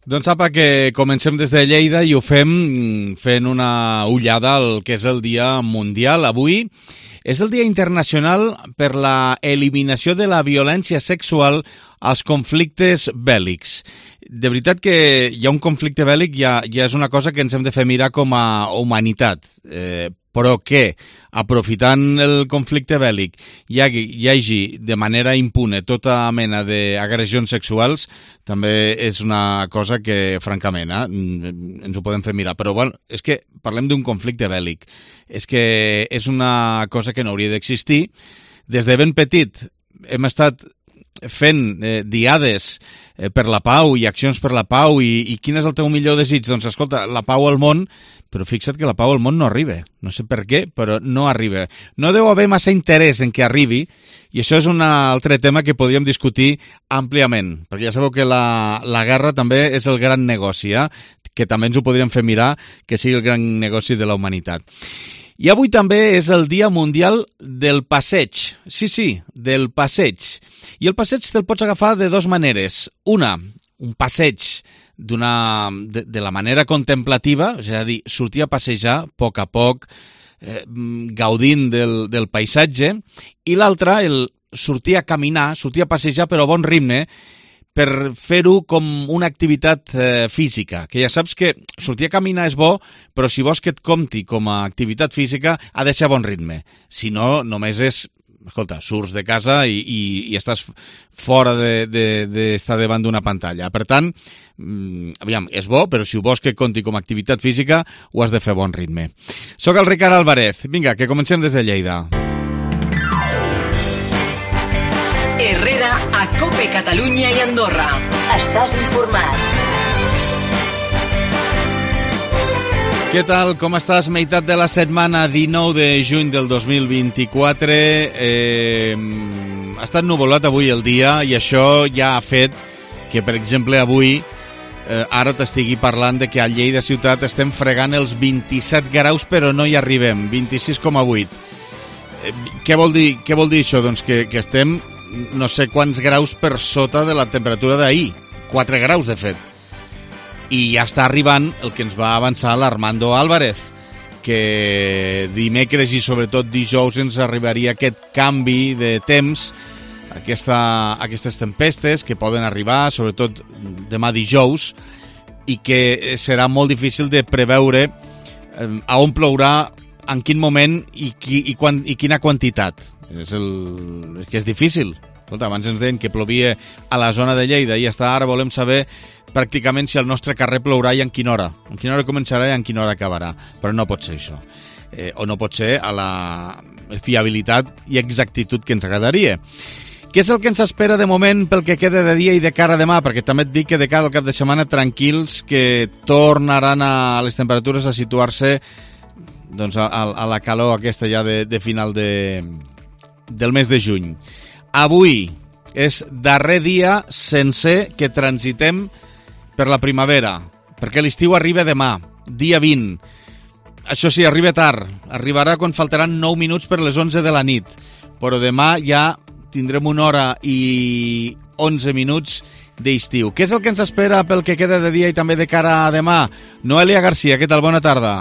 Doncs apa, que comencem des de Lleida i ho fem fent una ullada al que és el Dia Mundial. Avui és el Dia Internacional per la eliminació de la violència sexual als conflictes bèl·lics. De veritat que hi ha un conflicte bèl·lic, ja és una cosa que ens hem de fer mirar com a humanitat. Però que, aprofitant el conflicte bèl·lic, hi hagi de manera impune tota mena d'agressions sexuals, també és una cosa que, francament, ens ho podem fer mirar. Però, bueno, és que parlem d'un conflicte bèl·lic. És que és una cosa que no hauria d'existir. Des de ben petit hem estat fent diades per la pau i accions per la pau i quin és el teu millor desig? Doncs escolta, la pau al món, però fixa't que la pau al món no arriba. No sé per què, però no arriba. No deu haver massa interès en que arribi i això és un altre tema que podríem discutir àmpliament, perquè ja sabeu que la guerra també és el gran negoci, que també ens ho podríem fer mirar, que sigui el gran negoci de la humanitat. I avui també és el Dia Mundial del Passeig. Sí, del passeig. I el passeig te'l pots agafar de dues maneres. Una, un passeig de la manera contemplativa, és a dir, sortir a passejar a poc, gaudint del paisatge, i l'altra, el sortir a caminar, sortir a passejar però a bon ritme, per fer-ho com una activitat física, que ja saps que sortir a caminar és bo, però si vols que et compti com a activitat física ha de ser a bon ritme. Si no, només és, escolta, surts de casa i estàs fora d'estar davant d'una pantalla. Per tant, aviam, és bo, però si ho vols que compti com a activitat física, ho has de fer a bon ritme. Soc el Ricard Álvarez. Vinga, que comencem des de Lleida. Herrera, a COPE Catalunya i Andorra. Estàs informat. Què tal? Com estàs? Meitat de la setmana, 19 de juny del 2024. Ha estat nuvolat avui el dia i això ja ha fet que, per exemple, avui ara t'estigui parlant de que a Lleida ciutat estem fregant els 27 graus però no hi arribem, 26,8. Què vol dir això? Doncs que estem no sé quants graus per sota de la temperatura d'ahir, 4 graus de fet, i ja està arribant el que ens va avançar l'Armando Álvarez, que dimecres i sobretot dijous ens arribaria aquest canvi de temps, aquestes tempestes que poden arribar sobretot demà dijous i que serà molt difícil de preveure a on plourà, en quin moment i quina quantitat. És que és difícil. Escolta, abans ens deien que plovia a la zona de Lleida i ara volem saber pràcticament si al nostre carrer plourà i en quina hora. En quina hora començarà i en quina hora acabarà. Però no pot ser això. O no pot ser a la fiabilitat i exactitud que ens agradaria. Què és el que ens espera de moment pel que queda de dia i de cara a demà? Perquè també et dic que de cara al cap de setmana tranquils, que tornaran a les temperatures a situar-se doncs, a la calor aquesta ja de final del mes de juny. Avui és darrer dia sencer que transitem per la primavera, perquè l'estiu arriba demà, dia 20. Això sí, arriba tard, arribarà quan faltaran 9 minuts per les 11 de la nit, però demà ja tindrem 1 hora i 11 minuts d'estiu. Què és el que ens espera pel que queda de dia i també de cara a demà? Noelia Garcia, què tal? Bona tarda.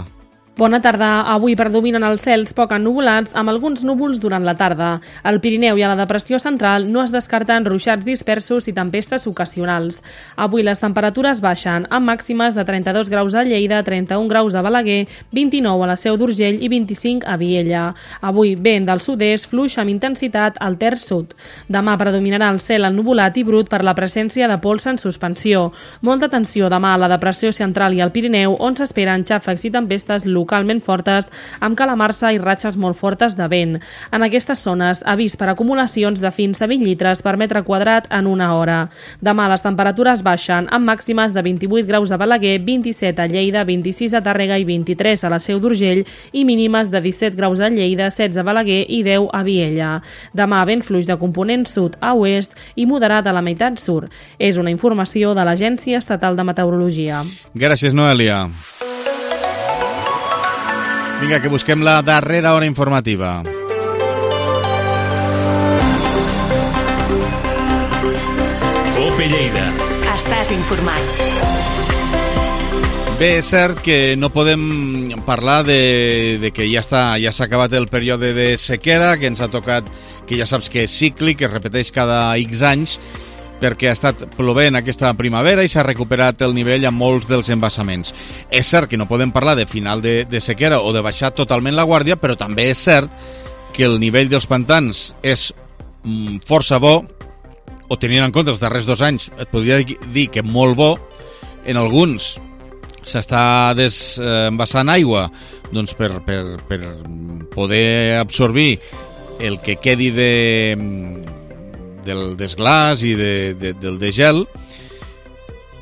Bona tarda. Avui predominen els cels poc ennuvolats amb alguns núvols durant la tarda. Al Pirineu i a la depressió central no es descarten ruixats dispersos i tempestes ocasionals. Avui les temperatures baixen, amb màximes de 32 graus a Lleida, 31 graus a Balaguer, 29 a la Seu d'Urgell i 25 a Viella. Avui vent del sud-est fluix amb intensitat al terç sud. Demà predominarà el cel ennuvolat i brut per la presència de pols en suspensió. Molta atenció demà a la depressió central i al Pirineu, on s'esperen xàfecs i tempestes localment fortes, amb calamarsa i ratxes molt fortes de vent. En aquestes zones, avís per acumulacions de fins a 20 litres per metre quadrat en una hora. Demà les temperatures baixen, amb màximes de 28 graus a Balaguer, 27 a Lleida, 26 a Tàrrega i 23 a la Seu d'Urgell i mínimes de 17 graus a Lleida, 16 a Balaguer i 10 a Viella. Demà vent fluix de component sud a oest i moderat a la meitat sud. És una informació de l'Agència Estatal de Meteorologia. Gràcies, Noelia. Vinga, que busquem la darrera hora informativa. COPE Lleida. Estàs informat. Bé, és cert que no podem parlar de que ja s'ha acabat el període de sequera, que ens ha tocat, que ja saps que és cíclic, que es repeteix cada X anys, perquè ha estat plovent aquesta primavera i s'ha recuperat el nivell a molts dels embassaments. És cert que no podem parlar de final de sequera o de baixar totalment la guàrdia, però també és cert que el nivell dels pantans és força bo, o tenint en compte els darrers 2 anys, et podria dir que molt bo. En alguns s'està desembassant aigua doncs per poder absorbir el que quedi del desglàs i del degel,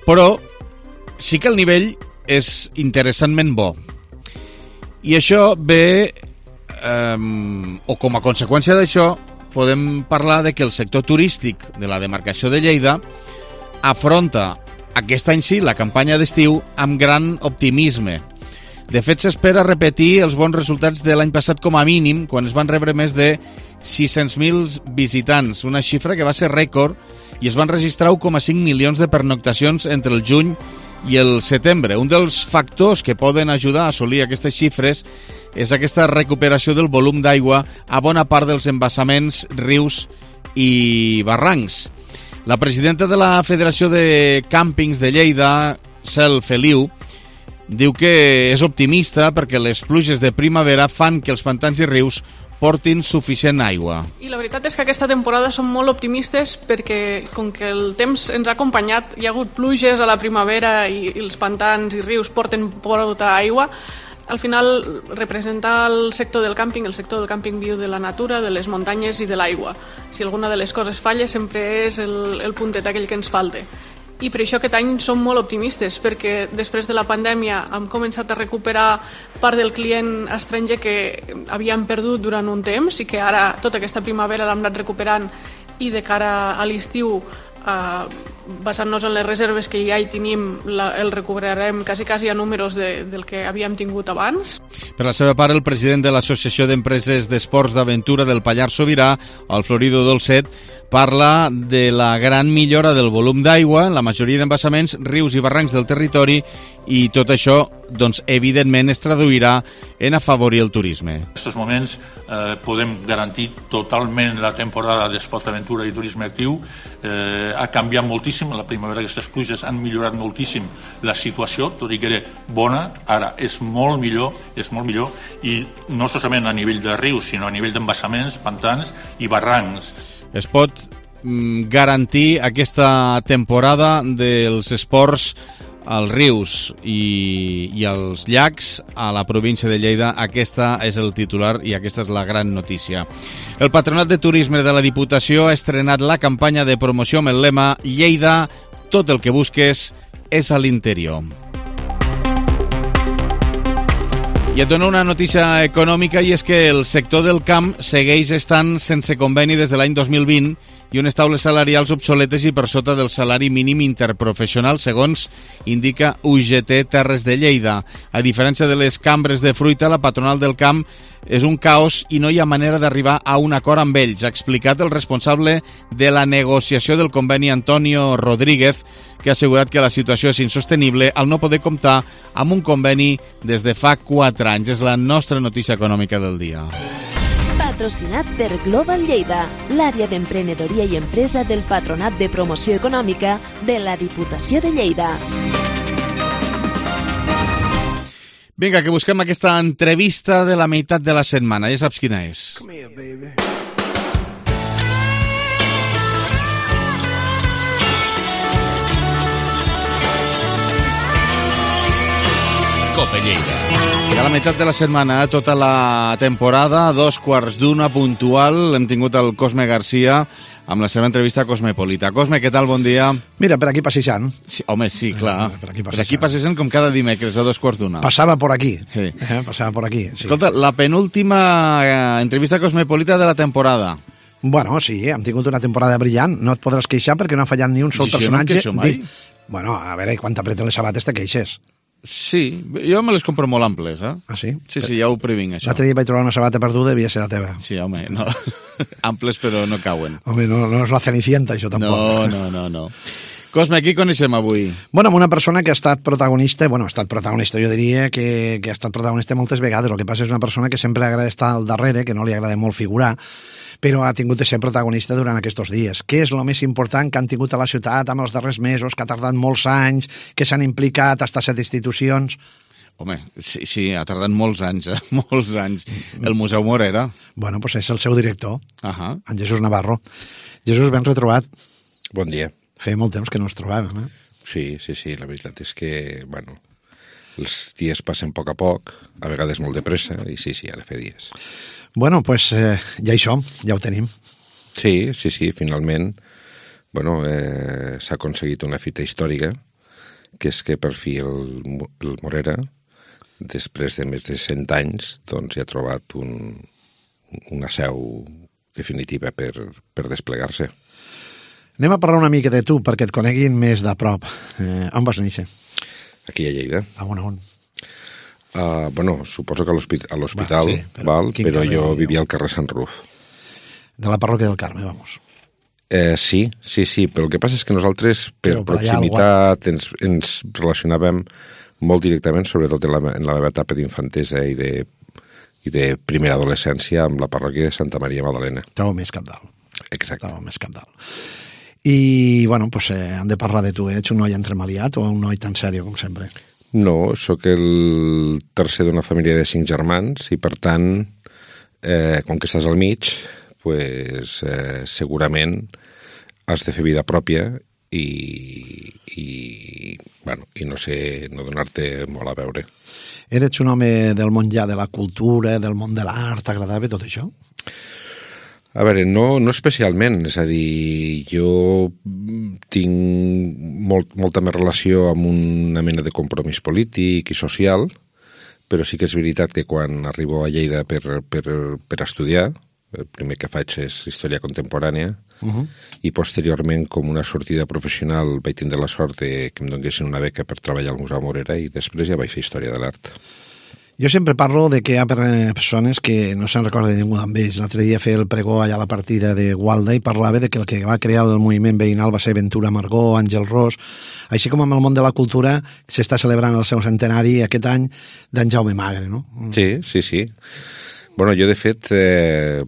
però sí que el nivell és interessantment bo. I això ve, o com a conseqüència d'això, podem parlar de que el sector turístic de la demarcació de Lleida afronta aquest any sí la campanya d'estiu amb gran optimisme. De fet, s'espera repetir els bons resultats de l'any passat com a mínim, quan es van rebre més de 600.000 visitants, una xifra que va ser rècord, i es van registrar 1,5 milions de pernoctacions entre el juny i el setembre. Un dels factors que poden ajudar a assolir aquestes xifres és aquesta recuperació del volum d'aigua a bona part dels embassaments, rius i barrancs. La presidenta de la Federació de Càmpings de Lleida, Cel Feliu, diu que és optimista perquè les pluges de primavera fan que els pantans i rius portin suficient aigua. I la veritat és que aquesta temporada som molt optimistes perquè, com que el temps ens ha acompanyat, hi ha hagut pluges a la primavera i els pantans i rius porten molta aigua. Al final representa el sector del càmping viu de la natura, de les muntanyes i de l'aigua. Si alguna de les coses falla sempre és el puntet aquell que ens falta. I per això aquest any som molt optimistes, perquè després de la pandèmia hem començat a recuperar part del client estranger que havíem perdut durant un temps i que ara tota aquesta primavera l'hem anat recuperant, i de cara a l'estiu, basant-nos en les reserves que ja hi tenim, el recuperarem quasi a números del que havíem tingut abans. Per la seva part, el president de l'Associació d'Empreses d'Esports d'Aventura del Pallars Sobirà, el Florido Dolcet, parla de la gran millora del volum d'aigua en la majoria d'embassaments, rius i barrancs del territori, i tot això, doncs, evidentment, es traduirà en afavorir el turisme. En aquests moments podem garantir totalment la temporada d'esport, aventura i turisme actiu. Ha canviat moltíssim, la primavera aquestes pluges han millorat moltíssim la situació, tot i que era bona, ara és molt millor, i no solament a nivell de rius, sinó a nivell d'embassaments, pantans i barrancs. Es pot garantir aquesta temporada dels esports als rius i als llacs a la província de Lleida. Aquesta és el titular i aquesta és la gran notícia. El Patronat de Turisme de la Diputació ha estrenat la campanya de promoció amb el lema Lleida, tot el que busques és a l'interior. I et dono una notícia econòmica, i és que el sector del camp segueix estant sense conveni des de l'any 2020 i unes taules salarials obsoletes i per sota del salari mínim interprofessional, segons indica UGT Terres de Lleida. A diferència de les cambres de fruita, la patronal del camp és un caos i no hi ha manera d'arribar a un acord amb ells, ha explicat el responsable de la negociació del conveni, Antonio Rodríguez, que ha assegurat que la situació és insostenible al no poder comptar amb un conveni des de fa 4 anys. És la nostra notícia econòmica del dia. Patrocinat per Global Lleida, l'àrea d'emprenedoria i empresa del Patronat de Promoció Econòmica de la Diputació de Lleida. Vinga, que busquem aquesta entrevista de la meitat de la setmana. Ja saps quina és. Come here, baby. Cope Lleida. I a la meitat de la setmana, tota la temporada, 2:15 puntual, hem tingut el Cosme Garcia amb la seva entrevista Cosmopolita. Cosme, què tal? Bon dia. Mira, per aquí passejant. Sí, home, sí, clar. Per aquí passejant com cada dimecres a 2:15. Passava por aquí. Sí. Passava por aquí. Sí. Escolta, la penúltima entrevista Cosmopolita de la temporada. Bueno, sí, hem tingut una temporada brillant. No et podràs queixar perquè no ha fallat ni un sol personatge. Jo no em queixo mai. Bueno, a veure, quan t'apreten les sabates te queixes. Sí, jo me les compro molt amples, eh? Ah, sí? Sí, ja ho previnc, això. L'altre dia vaig trobar una sabata perduda i devia ser la teva. Sí, home, no. Amples però no cauen. Home, no és la Cenicienta, això tampoc. No. Cosme, qui coneixem avui? Bueno, amb una persona que ha estat protagonista, jo diria que ha estat protagonista moltes vegades. El que passa és una persona que sempre agrada estar al darrere, que no li agrada molt figurar, però ha tingut de ser protagonista durant aquests dies. Què és el més important que han tingut a la ciutat amb els darrers mesos, que ha tardat molts anys, que s'han implicat hasta 7 institucions? Home, sí, ha tardat molts anys, molts anys. El Museu Morera. Bueno, doncs és el seu director, en Jesús Navarro. Jesús, ben retrobat. Bon dia. Feia molt temps que no ens trobàvem, eh? Sí, la veritat és que, bueno, els dies passen a poc, a vegades molt de pressa, i sí, ara fa dies. Bueno, doncs ja hi som, ja ho tenim. Sí, finalment, bueno, s'ha aconseguit una fita històrica, que és que per fi el Morera, després de més de 100 anys, doncs ja ha trobat una seu definitiva per desplegar-se. Anem a parlar una mica de tu, perquè et coneguin més de prop. On vas néixer? Aquí a Lleida. On? Bueno, suposo que a l'hospital, però jo vivia al carrer Sant Ruf. De la parròquia del Carme, vamos. Sí, però el que passa és que nosaltres, per proximitat, ens relacionàvem molt directament, sobretot en la meva etapa d'infantesa i de primera adolescència amb la parròquia de Santa Maria Magdalena. Estava més capdalt. Exacte. Estava més capdalt. I, bueno, doncs hem de parlar de tu. Ets un noi entremaliat o un noi tan sèrio com sempre? No, sóc el tercer d'una família de 5 germans i, per tant, com que estàs al mig, pues, segurament has de fer vida pròpia i no donar-te molt a veure. Eres un home del món ja de la cultura, del món de l'art, t'agradava tot això? A veure, no especialment, és a dir, jo tinc molta més relació amb una mena de compromís polític i social, però sí que és veritat que quan arribo a Lleida per estudiar, el primer que faig és història contemporània, i posteriorment, com una sortida professional, vaig tindre la sort que em donguessin una beca per treballar al Museu Morera i després ja vaig fer història de l'art. Jo sempre parlo de que hi ha persones que no se'n recorda de ningú d'ells. L'altre dia feia el pregó allà a la partida de Gualda i parlava de que el que va crear el moviment veïnal va ser Ventura Margó, Àngel Ros, així com amb el món de la cultura s'està celebrant el seu centenari aquest any d'en Jaume Magre, no? Sí. Bueno, jo, de fet, he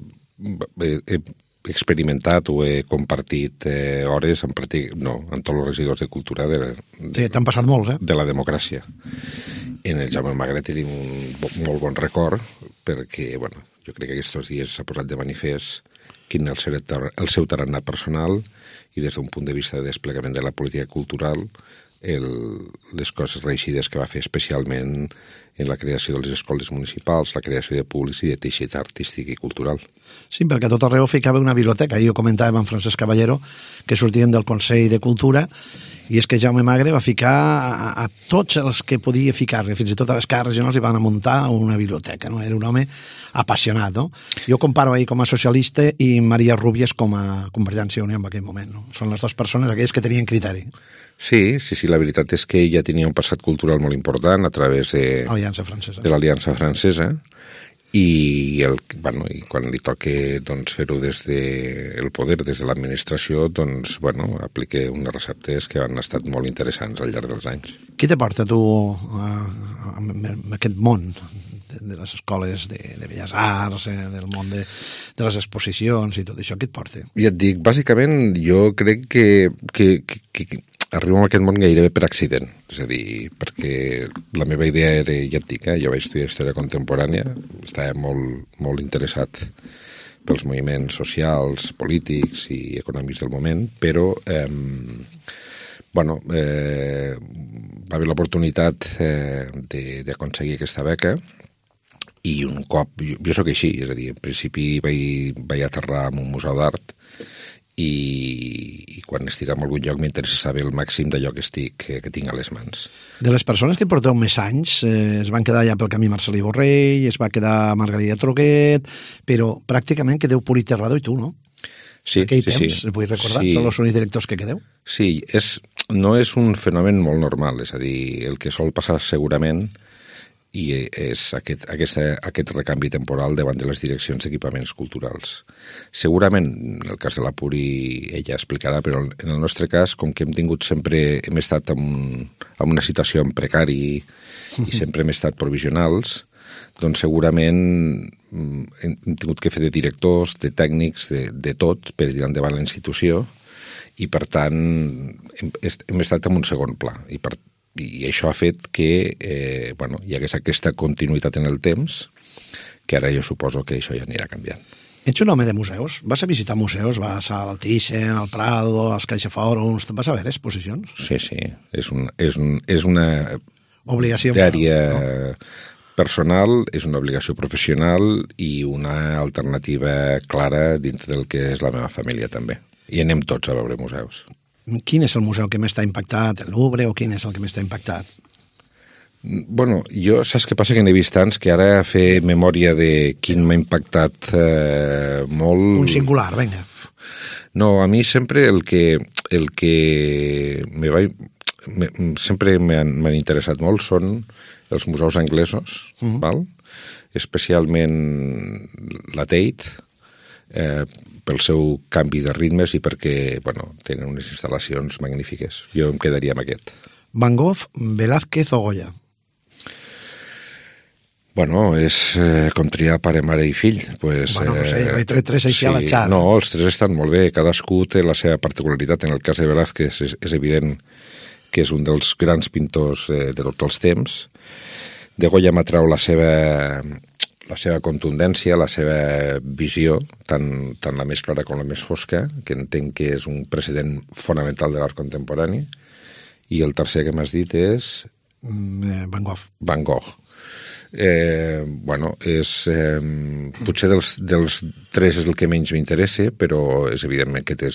experimentat o he compartit hores amb tots els regidors de cultura t'han passat molts, de la democràcia. En el Jaume Magre tenim un molt bon record perquè, bueno, jo crec que aquests dies s'ha posat de manifest quin és el seu tarannà personal i des d'un punt de vista de desplegament de la política cultural les coses reeixides que va fer especialment en la creació de les escoles municipals, la creació de públics i de teixit artístic i cultural. Sí, perquè a tot arreu ficava una biblioteca. Jo comentava amb Francesc Caballero que sortien del Consell de Cultura i és que Jaume Magre va ficar a tots els que podia ficar, fins i tot a les cases regionals hi van a muntar una biblioteca, no? Era un home apassionat, no? Jo comparo ahir com a socialista i Maria Rúbies com a Convergència i Unió en aquell moment, no? Són les dues persones aquelles que tenien criteri. Sí, la veritat és que ella tenia un passat cultural molt important a través de l'Aliança Francesa i quan li toca fer-ho des del poder, des de l'administració, aplica unes receptes que han estat molt interessants al llarg dels anys. Qui te porta tu a aquest món de les escoles de Belles Arts, del món de les exposicions i tot això? Qui et porta? Ja et dic, bàsicament jo crec que arribo a aquest món gairebé per accident, és a dir, perquè la meva idea era, ja et dic, jo vaig estudiar història contemporània, estava molt interessat pels moviments socials, polítics i econòmics del moment, però va haver l'oportunitat d'aconseguir aquesta beca i un cop, jo sóc així, és a dir, en principi vaig aterrar en un museu d'art i quan estic en algun lloc m'interessa saber el màxim d'allò que tinc a les mans. De les persones que porteu més anys, es van quedar ja pel camí Marcelí Borrell, es va quedar Margarida Troguet, però pràcticament quedeu Puri Terrado i tu, no? Sí, aquell temps, vull recordar, són els únics directors que quedeu? Sí, no és un fenomen molt normal, és a dir, el que sol passar segurament i és aquest recanvi temporal davant de les direccions d'equipaments culturals. Segurament, en el cas de la Puri, ella explicarà, però en el nostre cas, com que hem estat en una situació en precari i sempre hem estat provisionals, doncs segurament hem tingut que fer de directors, de tècnics, de tot, per tirar endavant la institució, i per tant hem estat en un segon pla, i això ha fet que hi hagués aquesta continuïtat en el temps, que ara jo suposo que això ja anirà canviant. Ets un home de museus? Vas a visitar museus? Vas al Thyssen, al Prado, als CaixaForums? Vas a veure exposicions? Sí. És una obligació àrea personal, és una obligació professional i una alternativa clara dintre del que és la meva família també. I anem tots a veure museus. Quin és el museu que més t'ha impactat? El Louvre o quin és el que més t'ha impactat? Bueno, jo saps què passa? Que n'he vist tants que ara fer memòria de quin m'ha impactat molt... Un singular, vinga. No, a mi sempre el que sempre m'han interessat molt són els museus anglesos, val? Especialment la Tate, pel seu canvi de ritmes i perquè tenen unes instal·lacions magnífiques. Jo em quedaria amb aquest. Van Gogh, Velázquez o Goya? És com triar pare, mare i fill. No sé, he tret tres així a la xar. No, els tres estan molt bé. Cadascú té la seva particularitat. En el cas de Velázquez és evident que és un dels grans pintors de tots els temps. De Goya m'atrau la seva contundència, la seva visió, tant la més clara com la més fosca, que entenc que és un precedent fonamental de l'art contemporani. I el tercer que m'has dit és... Van Gogh. Van Gogh. Potser dels tres és el que menys m'interessa, però és evidentment que té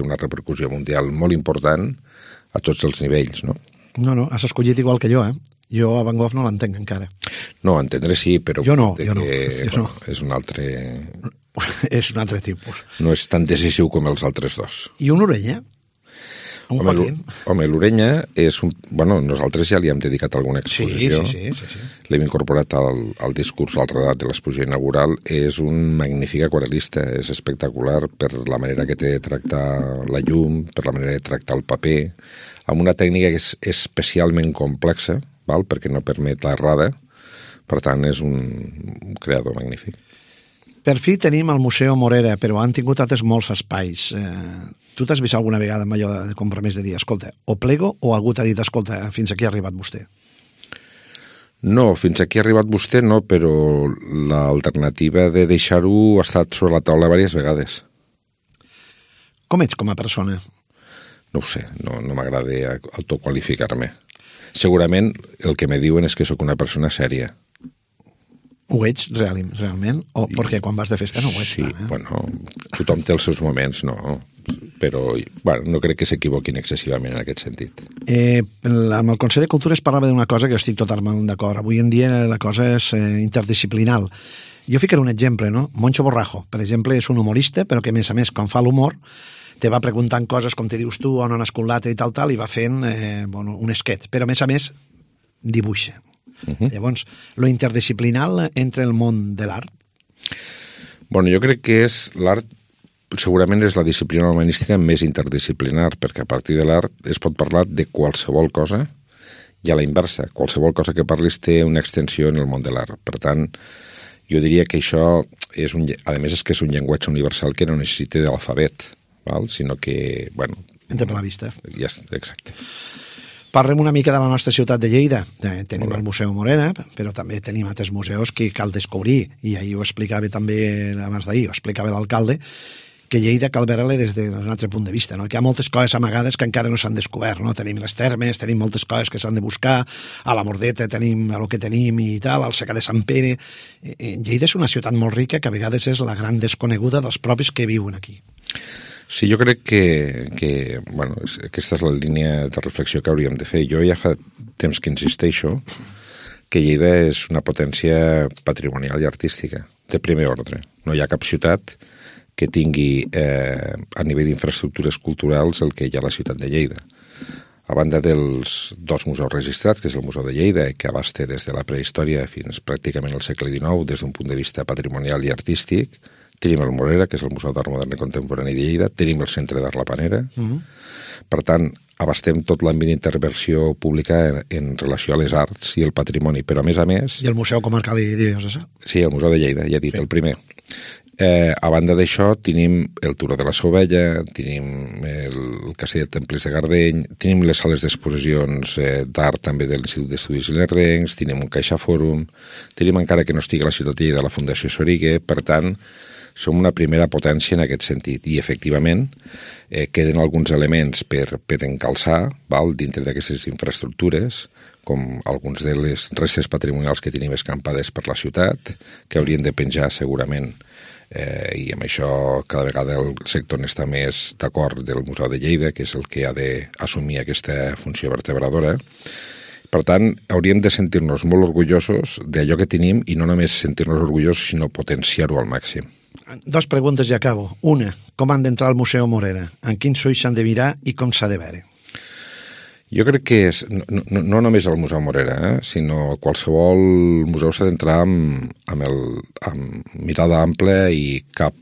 una repercussió mundial molt important a tots els nivells, no? No, has escollit igual que jo, Jo a Van Gogh no l'entenc encara. No, entendre sí, però... Jo no. És un altre... És un altre tipus. No és tan decisiu com els altres dos. I un Orella? Home, l'Orella és un... nosaltres ja li hem dedicat alguna exposició. Sí. L'hem incorporat al discurs, al redat de l'exposició inaugural. És un magnífic aquarel·lista, és espectacular per la manera que té de tractar la llum, per la manera de tractar el paper, amb una tècnica que és especialment complexa, perquè no permet l'errada. Per tant, és un creador magnífic. Per fi tenim el Museu Morera, però han tingut altres molts espais. Tu t'has vist alguna vegada amb allò de compromís de dir, escolta, o plego o algú t'ha dit, escolta, fins aquí ha arribat vostè? No, fins aquí ha arribat vostè no, però l'alternativa de deixar-ho ha estat sobre la taula diverses vegades. Com ets com a persona? No ho sé, no m'agrada autoqualificar-me. Segurament el que me diuen és que sóc una persona sèria. Ho ets realment? O perquè quan vas de festa no ho ets tant, tothom té els seus moments, no? Però no crec que s'equivoquin excessivament en aquest sentit. Amb el Consell de Cultura es parlava d'una cosa que jo estic totalment d'acord. Avui en dia la cosa és interdisciplinal. Jo ficaré un exemple, no? Moncho Borrajo, per exemple, és un humorista, però que a més, quan fa l'humor, te va preguntant coses com te dius tu, on ha nascut l'altre i tal, i va fent un esquet. Però a més, dibuixa. Llavors, lo interdisciplinal entre el món de l'art? Jo crec que l'art segurament és la disciplina humanística més interdisciplinar, perquè a partir de l'art es pot parlar de qualsevol cosa i a la inversa. Qualsevol cosa que parlis té una extensió en el món de l'art. Per tant, jo diria que això és a més és que és un llenguatge universal que no necessita de l'alfabet, sinó que, Entra per la vista. Exacte. Parlem una mica de la nostra ciutat de Lleida. Tenim el Museu Morera, però també tenim altres museus que cal descobrir, i ahir ho explicava també, abans d'ahir, ho explicava l'alcalde, que Lleida cal veure-la des d'un altre punt de vista, que hi ha moltes coses amagades que encara no s'han descobert. Tenim les termes, tenim moltes coses que s'han de buscar, a la Bordeta tenim el que tenim i tal, al Secà de Sant Pere. Lleida és una ciutat molt rica que a vegades és la gran desconeguda dels propis que viuen aquí. Sí, jo crec que aquesta és la línia de reflexió que hauríem de fer. Jo ja fa temps que insisteixo que Lleida és una potència patrimonial i artística, de primer ordre. No hi ha cap ciutat que tingui a nivell d'infraestructures culturals el que hi ha a la ciutat de Lleida. a banda dels 2 museus registrats, que és el Museu de Lleida, que abasta des de la prehistòria fins pràcticament al segle XIX, des d'un punt de vista patrimonial i artístic. Tenim el Morera, que és el Museu d'Art Modern i Contemporani de Lleida. Tenim el Centre d'Art La Panera. Per tant, abastem tot l'àmbit d'intervenció pública en relació a les arts i el patrimoni, però a més... I el Museu Comarcal i Diocesà? Sí, el Museu de Lleida, ja he dit, el primer. A banda d'això, tenim el Turó de la Sovella, tenim el Castell de Temples de Gardeny, tenim les sales d'exposicions d'art també de l'Institut d'Estudis Ilerdencs, tenim un Caixa Fòrum, tenim encara que no estigui a la ciutat de Lleida la Fundació Soriguer, per tant, som una primera potència en aquest sentit. I, efectivament, queden alguns elements per encalçar dintre d'aquestes infraestructures, com alguns de les restes patrimonials que tenim escampades per la ciutat, que haurien de penjar segurament, i amb això cada vegada el sector n'està més d'acord del Museu de Lleida, que és el que ha d'assumir aquesta funció vertebradora. Per tant, hauríem de sentir-nos molt orgullosos d'allò que tenim i no només sentir-nos orgullosos, sinó potenciar-ho al màxim. 2 preguntes i acabo. Una, com han d'entrar al Museu Morera? En quins ulls s'han de mirar i com s'ha de veure? Jo crec que és, no només el Museu Morera, sinó qualsevol museu s'ha d'entrar amb mirada àmplia i cap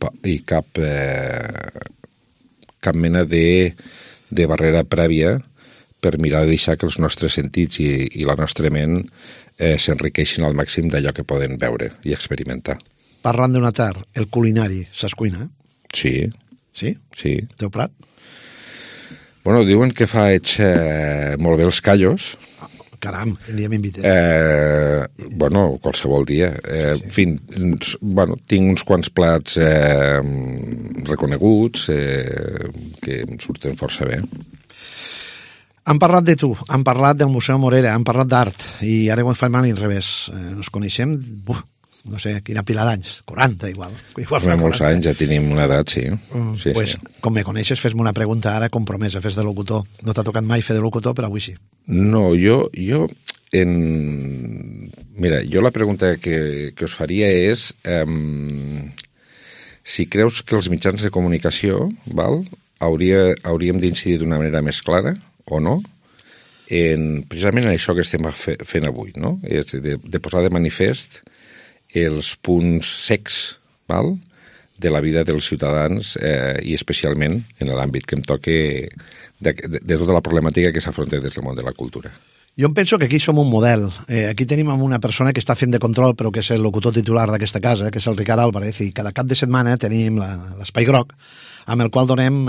mena de barrera prèvia per mirar de deixar que els nostres sentits i la nostra ment s'enriqueixin al màxim d'allò que poden veure i experimentar. Parlant d'un atar, el culinari, saps cuinar? Sí. Sí? Sí. Teu plat? Bueno, diuen que faig molt bé els callos. Caram, quin dia m'invites. Bueno, qualsevol dia. En fi, tinc uns quants plats reconeguts que em surten força bé. Han parlat de tu, han parlat del Museu Morera, han parlat d'art, i ara ho fan mal i al revés. Ens coneixem, no sé, quina pila d'anys, 40 igual. Fa molts anys, ja tenim una edat, sí. Sí. Com me coneixes, fes-me una pregunta ara compromesa, fes de locutor. No t'ha tocat mai fer de locutor, però avui sí. No, Mira, jo la pregunta que us faria és si creus que els mitjans de comunicació hauríem d'incidir d'una manera més clara o no, precisament en això que estem fent avui, no? És de posar de manifest els punts secs de la vida dels ciutadans i especialment en l'àmbit que em toque de tota la problemàtica que s'afronta des del món de la cultura. Jo em penso que aquí som un model. Aquí tenim una persona que està fent de control, però que és el locutor titular d'aquesta casa, que és el Ricard Álvarez, i cada cap de setmana tenim l'Espai Groc, amb el qual donem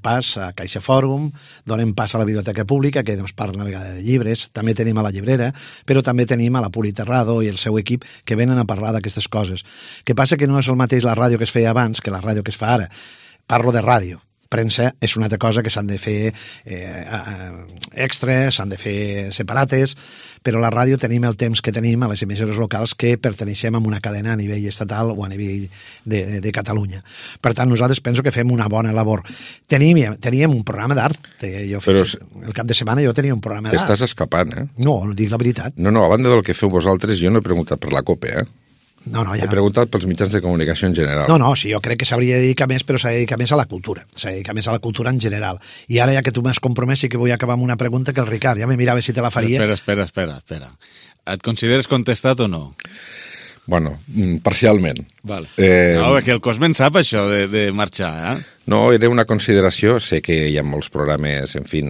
pas a Caixa Fòrum, donem pas a la Biblioteca Pública, que ens parla una vegada de llibres, també tenim a la Llibrera, però també tenim a la Puli Terrado i el seu equip que venen a parlar d'aquestes coses. Que passa que no és el mateix la ràdio que es feia abans que la ràdio que es fa ara. Parlo de ràdio. Premsa és una altra cosa que s'han de fer extras, s'han de fer separates, però la ràdio tenim el temps que tenim a les emissores locals que perteneixem a una cadena a nivell estatal o a nivell de Catalunya. Per tant, nosaltres penso que fem una bona labor. Teníem un programa d'art. El cap de setmana jo tenia un programa d'art. T'estàs escapant, No, dic la veritat. No, a banda del que feu vosaltres, jo no he preguntat per la COPE, No, ja. He preguntat pels mitjans de comunicació en general. No, sí, jo crec que s'hauria de dedicar més, però s'ha de dedicar més a la cultura. S'ha de dedicar més a la cultura en general. I ara, ja que tu m'has compromès, sí que vull acabar amb una pregunta que el Ricard ja me mirava si te la faria. Espera. Et consideres contestat o no? Bueno, parcialment. Vale. No, perquè el Cosme en sap això de marxar, No, era una consideració. Sé que hi ha molts programes, en fi,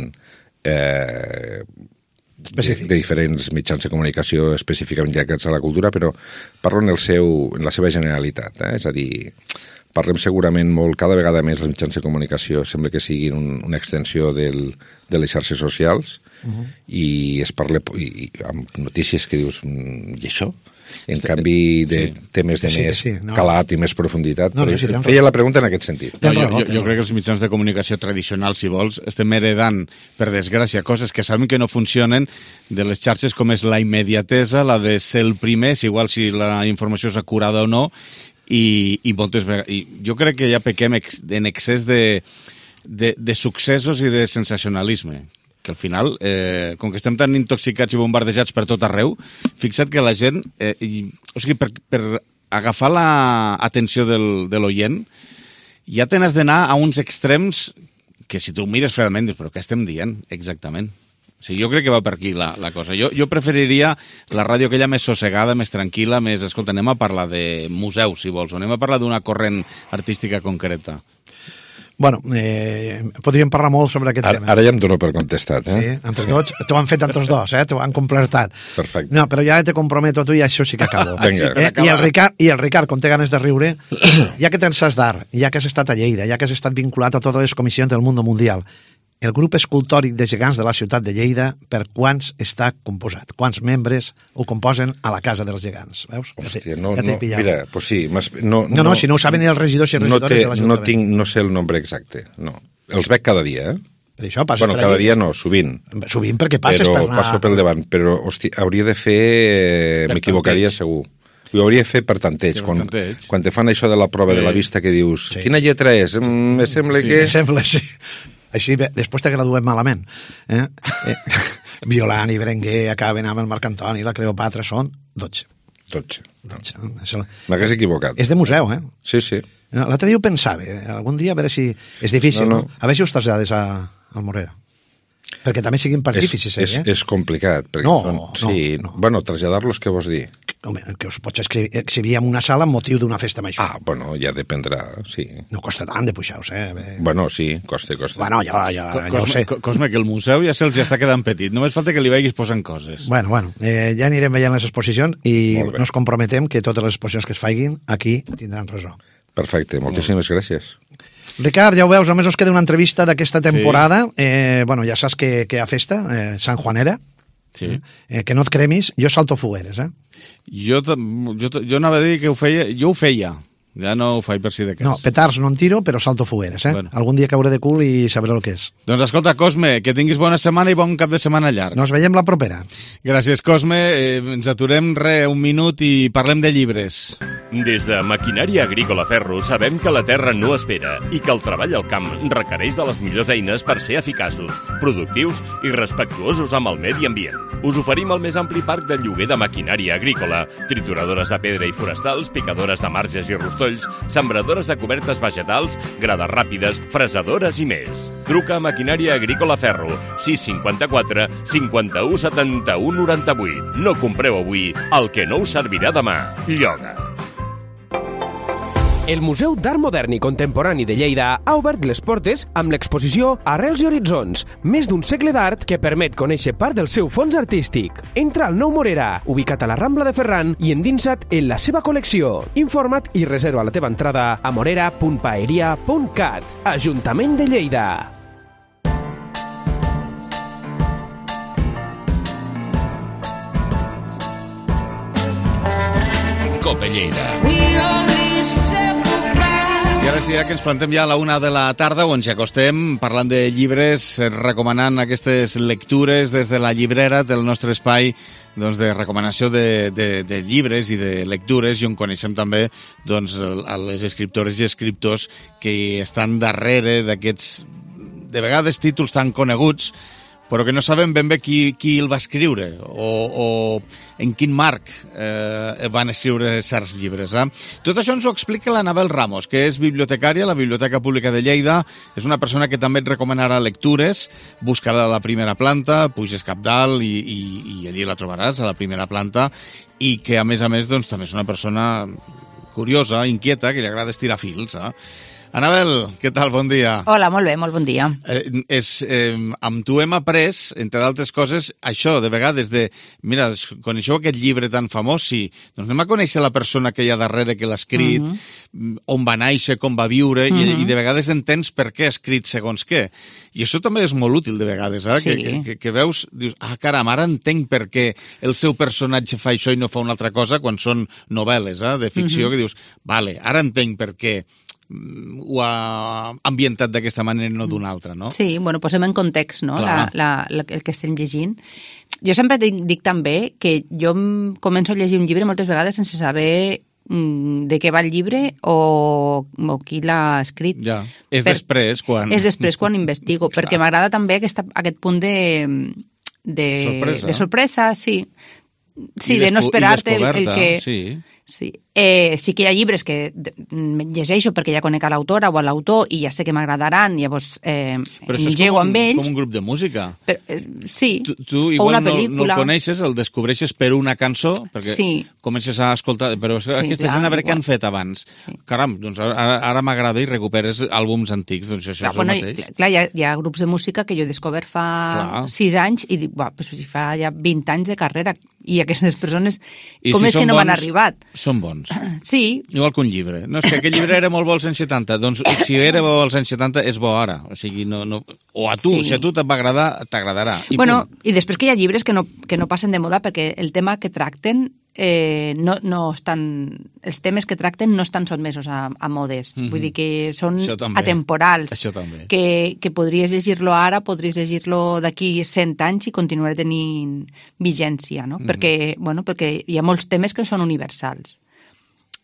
de diferents mitjans de comunicació específicament dedicats a la cultura, però parlo en la seva generalitat. És a dir, parlem segurament molt, cada vegada més els mitjans de comunicació sembla que siguin una extensió de les xarxes socials i es parla amb notícies que dius, i això? En canvi, de temes de més calat i més profunditat. Feia la pregunta en aquest sentit. Jo crec que els mitjans de comunicació tradicionals, si vols, estem heredant, per desgràcia, coses que sabem que no funcionen de les xarxes com és la immediatesa, la de ser el primer, és igual si la informació és acurada o no, i moltes vegades... Jo crec que ja pequem en excés de successos i de sensacionalisme, que al final, com que estem tan intoxicats i bombardejats per tot arreu, fixa't que la gent, o sigui, per agafar l'atenció de l'oient, ja te n'has d'anar a uns extrems que si tu mires fredament dius, però què estem dient exactament? Sí, jo crec que va per aquí la cosa. Jo preferiria la ràdio aquella més sossegada, més tranquil·la, més... Escolta, anem a parlar de museus, si vols, o anem a parlar d'una corrent artística concreta. Bueno, podríem parlar molt sobre aquest tema. Ara ja em dono per contestat, eh? Sí, entre tots, t'ho han fet entre els dos, t'ho han completat. Perfecte. No, però ja te comprometo tu i això sí que acabo. Vinga. I el Ricard, com té ganes de riure, ja que tens d'art, ja que has estat a Lleida, ja que has estat vinculat a totes les comissions del Mundo Mundial, el grup escultòric de gegants de la ciutat de Lleida, per quants està composat? Quants membres ho composen a la Casa dels Gegants? Veus? Hòstia, mira, pues sí. Si no ho saben ni els regidors i regidores de l'Ajuntament. No sé el nombre exacte, no. Els veig cada dia, Per això passa per cada dia no, sovint. Sovint perquè passes per anar... Passo pel davant, però, hòstia, hauria de fer... M'equivocaria segur. Ho hauria de fer per tanteig. Quan te fan això de la prova de la vista que dius, quina lletra és? Me sembla que... Me sembla, sí. Així, després te graduem malament. Violant i Berenguer acaben amb el Marc Antoni i la Cleopatra, són 12. 12. M'hagués equivocat. És de museu, eh? Sí, sí. L'altre dia ho pensava, algun dia a veure si... És difícil, no? A veure si us trasllades al Morera. Perquè també siguin partíficis, És complicat. No. Bueno, traslladar-los, què vols dir? Home, que us pots exhibir en una sala amb motiu d'una festa major. Ah, bueno, ja dependrà, sí. No costa tant de pujar-us, Bueno, sí, costa. Bueno, ja ho sé. Cosme, que el museu ja se'ls està quedant petit. Només falta que li vagis posant coses. Bueno, ja anirem veient les exposicions i nos comprometem que totes les exposicions que es facin aquí tindran raó. Perfecte, moltíssimes gràcies. Ricard, ja ho veus, només us queda una entrevista d'aquesta temporada. Sí. Ja saps que hi ha festa, Sant Juanera. Sí. Que no et cremis, jo salto fogueres, Jo anava a dir que jo ho feia. Ja no ho faig per si de cas. No, petards no en tiro, però salto fogueres, Bueno. Algun dia cauré de cul i sabré el que és. Doncs escolta, Cosme, que tinguis bona setmana i bon cap de setmana llarg. Nos veiem la propera. Gràcies, Cosme. Ens aturem un minut i parlem de llibres. Des de Maquinària Agrícola Ferro sabem que la terra no espera i que el treball al camp requereix de les millors eines per ser eficaços, productius i respectuosos amb el medi ambient. Us oferim el més ampli parc de lloguer de maquinària agrícola, trituradores de pedra i forestals, picadores de marges i rostolls, sembradores de cobertes vegetals, grades ràpides, fresadores i més. Truca a Maquinària Agrícola Ferro, 654 51 71 98. No compreu avui el que no us servirà demà. Lloga. El Museu d'Art Modern i Contemporani de Lleida ha obert les portes amb l'exposició Arrels i Horitzons, més d'un segle d'art que permet conèixer part del seu fons artístic. Entra al Nou Morera, ubicat a la Rambla de Ferran i endinsa't en la seva col·lecció. Informa't i reserva la teva entrada a morera.paeria.cat. Ajuntament de Lleida. Cope Lleida. I ara sí, que ens plantem ja a la 1 de la tarda, on ens acostem parlant de llibres, recomanant aquestes lectures des de la llibrera del nostre espai doncs, de recomanació de llibres i de lectures, i on coneixem també doncs, les escriptores i escriptors que estan darrere d'aquests, de vegades, títols tan coneguts, però que no sabem ben bé qui el va escriure o en quin marc van escriure certs llibres. Tot això ens ho explica l'Anabel Ramos, que és bibliotecària a la Biblioteca Pública de Lleida. És una persona que també et recomanarà lectures. Busca-la a la primera planta, puges cap dalt i allí la trobaràs, a la primera planta, i que, a més, doncs, també és una persona curiosa, inquieta, que li agrada estirar fils. Anabel, què tal? Bon dia. Hola, molt bé, molt bon dia. Amb tu hem après, entre d'altres coses, això, de vegades, mira, coneixeu aquest llibre tan famós? Sí. Doncs anem a conèixer la persona que hi ha darrere, que l'ha escrit, on va néixer, com va viure, i de vegades entens per què ha escrit segons què. I això també és molt útil, de vegades, Sí. que veus, dius, caram, ara entenc per què el seu personatge fa això i no fa una altra cosa, quan són novel·les de ficció, que dius, vale, ara entenc per què ho ha ambientat d'aquesta manera i no d'una altra, no? Sí, bueno, posem en context, no?, el que estem llegint. Jo sempre dic també que jo començo a llegir un llibre moltes vegades sense saber de què va el llibre o qui l'ha escrit. Ja, és després quan... És després quan investigo, perquè m'agrada també aquest punt de sorpresa, sí. Sí, de no esperar-te el que... Sí. Sí que hi ha llibres que llegeixo perquè ja conec a l'autora o a l'autor i ja sé que m'agradaran, llavors engego amb ells. Com un grup de música. Sí, tu o igual una pel·lícula. No el coneixes, el descobreixes per una cançó, perquè comences a escoltar... Però aquesta gent a veure què han fet abans. Sí. Caram, doncs ara m'agrada i recuperes àlbums antics, doncs això és el mateix. Clar, hi ha grups de música que jo he descobert fa 6 anys i dic, pues, fa ja 20 anys de carrera i aquestes persones, com és que no m'han arribat? Són bons. Sí. Igual que un llibre. No, és que aquell llibre era molt bo als anys 70. Doncs si era bo als anys 70, és bo ara. O sigui, o a tu, si a tu t'va agradar, t'agradarà. I després que hi ha llibres que no passen de moda perquè el tema que tracten no estan... Els temes que tracten no estan sotmesos a modes. Vull dir que són atemporals. Això també. Que podries llegir-lo ara, podries llegir-lo d'aquí 100 anys i continuar tenint vigència, no? Perquè hi ha molts temes que són universals.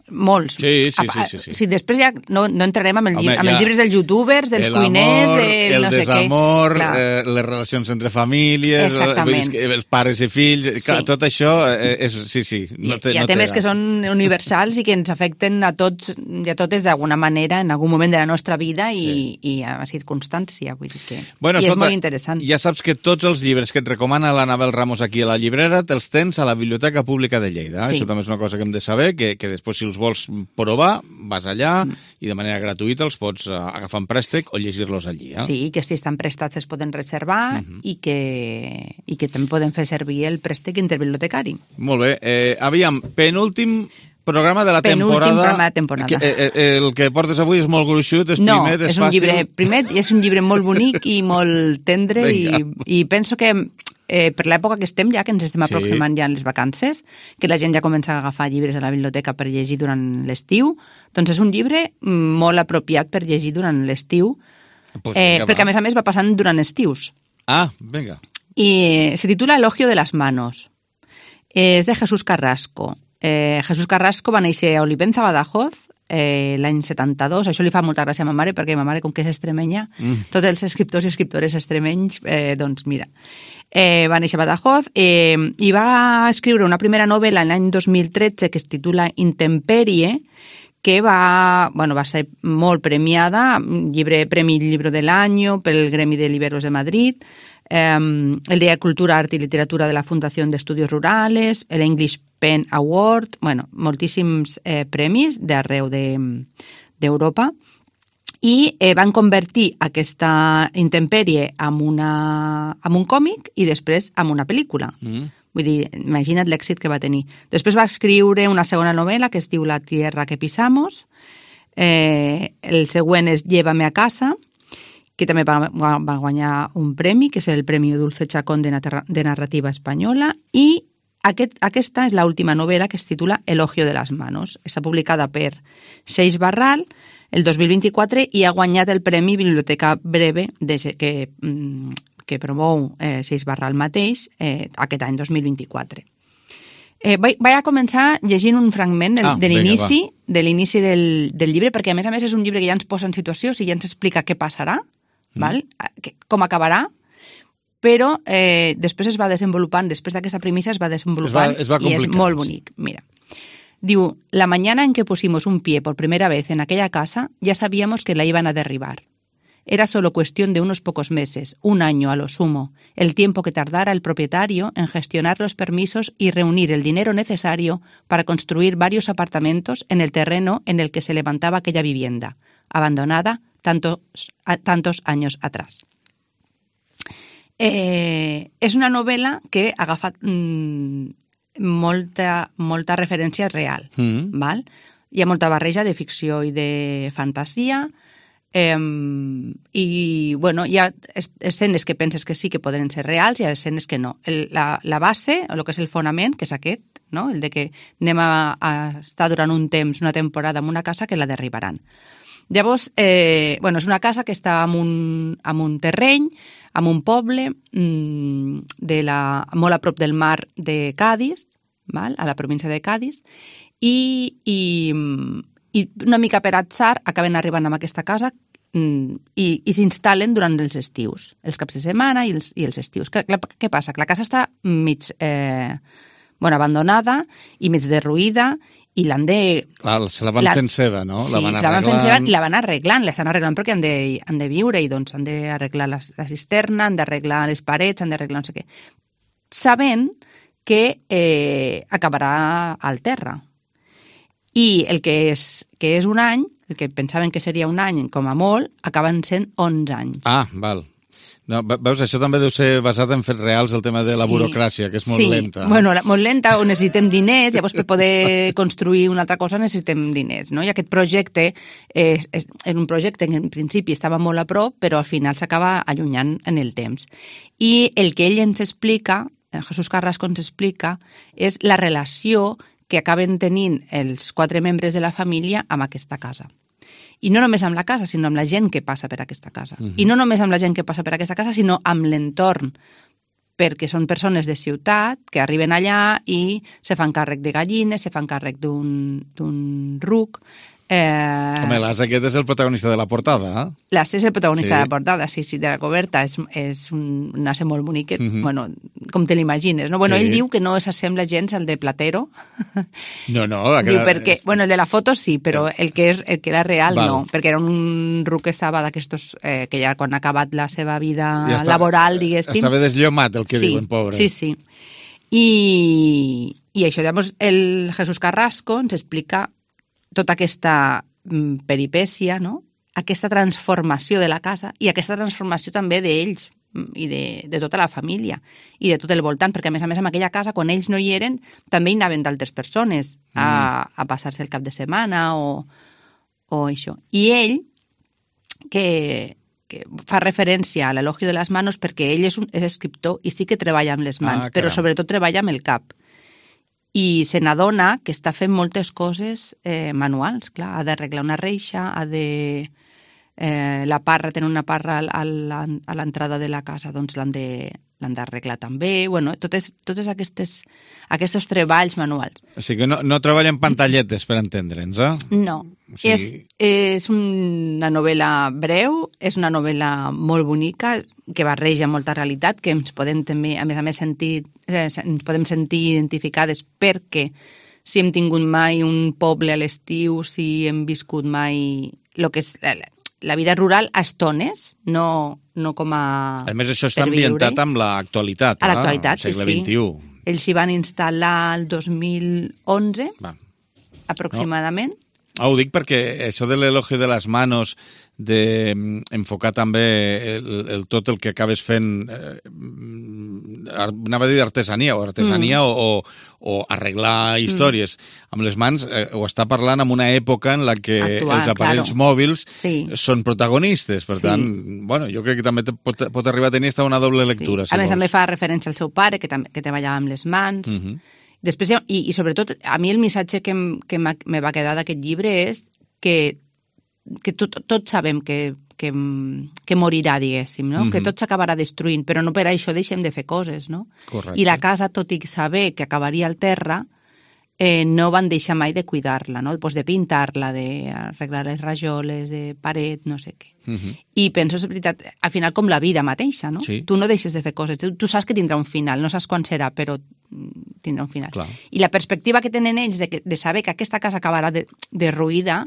Molts. Sí. Després ja no entrarem amb els llibres dels youtubers, dels cuiners, el desamor, les relacions entre famílies, els pares i fills, tot això és... Sí. Hi ha temes que són universals i que ens afecten a tots i a totes d'alguna manera en algun moment de la nostra vida i a circumstància. Vull dir que és molt interessant. Ja saps que tots els llibres que et recomana l'Anabel Ramos aquí a la llibrera te'ls tens a la Biblioteca Pública de Lleida. Això també és una cosa que hem de saber, que després si els vols provar, vas allà i de manera gratuïta els pots agafar en préstec o llegir-los allí. Sí, que si estan prestats es poden reservar i que també poden fer servir el préstec interbibliotecari. Molt bé. Aviam, penúltim programa de la temporada. Penúltim programa de temporada. El que portes avui és molt gruixut, és primet, és fàcil. No, és un llibre primet i és un llibre molt bonic i molt tendre i penso que per l'època que estem ja, que ens estem aproximant ja en les vacances, que la gent ja comença a agafar llibres a la biblioteca per llegir durant l'estiu, doncs és un llibre molt apropiat per llegir durant l'estiu, perquè a més va passant durant estius. Vinga. I se titula Elogio de las manos. És de Jesús Carrasco. Jesús Carrasco va néixer a Olivenza, Badajoz, l'any 72. Això li fa molta gràcia a ma mare, perquè ma mare, com que és extremenya, tots els escriptors i escriptores extremenys, doncs mira, va néixer a Badajoz i va escriure una primera novel·la l'any 2013 que es titula Intemperie, que va ser molt premiada, Premi Libro del Año pel Gremi de Libreros de Madrid, el Día de Cultura, Arte y Literatura de la Fundación de Estudios Rurales, el English Pen Award, moltíssims premis d'arreu d'Europa, i van convertir aquesta intempèrie en un còmic i després en una pel·lícula. Vull dir, imagina't l'èxit que va tenir. Després va escriure una segona novel·la que es diu La tierra que pisamos, el següent és Llévame a casa, que també va guanyar un premi, que és el Premi Dulce Chacón de Narrativa Espanyola, i aquesta és l'última novel·la que es titula Elogio de las manos. Està publicada per Seix Barral el 2024 i ha guanyat el Premi Biblioteca Breve que promou Seix Barral mateix aquest any 2024. Vaig a començar llegint un fragment de l'inici del llibre, perquè a més és un llibre que ja ens posa en situació, ja ens explica què passarà, com acabarà, però després es va desenvolupant, després d'aquesta premissa es va desenvolupant i és molt bonic. Mira, diu, la mañana en que pusimos un pie por primera vez en aquella casa, ya sabíamos que la iban a derribar. Era solo cuestión de unos pocos meses, un año a lo sumo, el tiempo que tardara el propietario en gestionar los permisos y reunir el dinero necesario para construir varios apartamentos en el terreno en el que se levantaba aquella vivienda, abandonada tantos años atrás. És una novel·la que ha agafat molta referència real. Val? Hi ha molta barreja de ficció i de fantasia, i hi ha escenes que penses que sí que poden ser reals i hi ha escenes que no. La base, el que és el fonament, que és aquest, no? El de que anem a estar durant un temps, una temporada en una casa que la derribaran. Llavors, és una casa que està en un terreny, en un poble molt a prop del mar de Cádiz, a la província de Cádiz, i una mica per atzar acaben arribant a aquesta casa i s'instal·len durant els estius, els caps de setmana i els estius. Què passa? Que la casa està mig abandonada i mig derruïda i l'han de... Clar, se la van fent seva, no? Sí, se la van fent seva i la van arreglant, l'estan arreglant perquè han de viure i doncs han d'arreglar la cisterna, han d'arreglar les parets, han d'arreglar no sé què. Sabent que acabarà al terra. I el que és un any, el que pensaven que seria un any com a molt, acaben sent 11 anys. Ah, val. No, veus, això també deu ser basat en fets reals, el tema de la burocràcia, que és molt lenta. Bueno, molt lenta, o necessitem diners, llavors per poder construir una altra cosa necessitem diners, no? I aquest projecte és un projecte que en principi estava molt a prop, però al final s'acaba allunyant en el temps. I el que ell ens explica, Jesús Carrasco ens explica, és la relació que acaben tenint els 4 membres de la família amb aquesta casa. I no només amb la casa, sinó amb la gent que passa per aquesta casa. I no només amb la gent que passa per aquesta casa, sinó amb l'entorn, perquè són persones de ciutat que arriben allà i se fan càrrec de gallines, se fan càrrec d'un ruc. Home, l'as aquest és el protagonista de la portada, eh? L'as és el protagonista de la portada, sí, de la coberta. És un ase molt bonic, bueno, com te l'imagines, no? Bueno, ell diu que no s'assembla gens al de Platero. No. Diu perquè, bueno, el de la foto sí, però el que era real no, perquè era un ruc que estava d'aquestos, que ja quan ha acabat la seva vida laboral, diguéssim. Estava desllomat, el que diuen, pobre. Sí. I això, llavors, el Jesús Carrasco ens explica tota aquesta peripècia, no? Aquesta transformació de la casa i aquesta transformació també d'ells i de tota la família i de tot el voltant, perquè a més en aquella casa, quan ells no hi eren, també hi anaven d'altres persones a passar-se el cap de setmana o això. I ell, que fa referència a l'elogio de les manos perquè ell és escriptor i sí que treballa amb les mans, però sobretot treballa amb el cap. I se n'adona que està fent moltes coses manuals, clar, ha d'arreglar una reixa, la parra, tenen una parra a l'entrada de la casa, doncs l'han d'arreglar també, bueno, totes aquests treballs manuals. O sigui que no treballa en pantalletes, per entendre'ns, eh? No, o sigui... és una novel·la breu, és una novel·la molt bonica, que barreja molta realitat, que ens podem també, a més sentir identificades perquè si hem tingut mai un poble a l'estiu, si hem viscut mai el que és la vida rural a estones, no com a... A més, això està ambientat amb l'actualitat, a l'actualitat, sí. Segle XXI. Ells s'hi van instal·lar el 2011, aproximadament. Ho dic perquè això de l'elogio de les manos, d'enfocar també tot el que acabes fent, anava a dir d'artesania, o arreglar històries amb les mans, ho està parlant en una època en la que els aparells mòbils són protagonistes. Per tant, bueno, jo crec que també pot arribar a tenir una doble lectura. A més, també fa referència al seu pare, que treballava amb les mans. Després, i sobretot, a mi el missatge que me va quedar d'aquest llibre és que tots sabem que morirà, diguéssim, no? Que tot s'acabarà destruint, però no per això deixem de fer coses, no? Correcte. I la casa, tot i saber que acabaria al terra, no van deixar mai de cuidar-la, no? Pues de pintar-la, d'arreglar les rajoles, de paret, no sé què. I penso, és veritat, al final com la vida mateixa, no? Sí. Tu no deixes de fer coses, tu saps que tindrà un final, no saps quan serà, però tindrà un final. Clar. I la perspectiva que tenen ells de saber que aquesta casa acabarà derruïda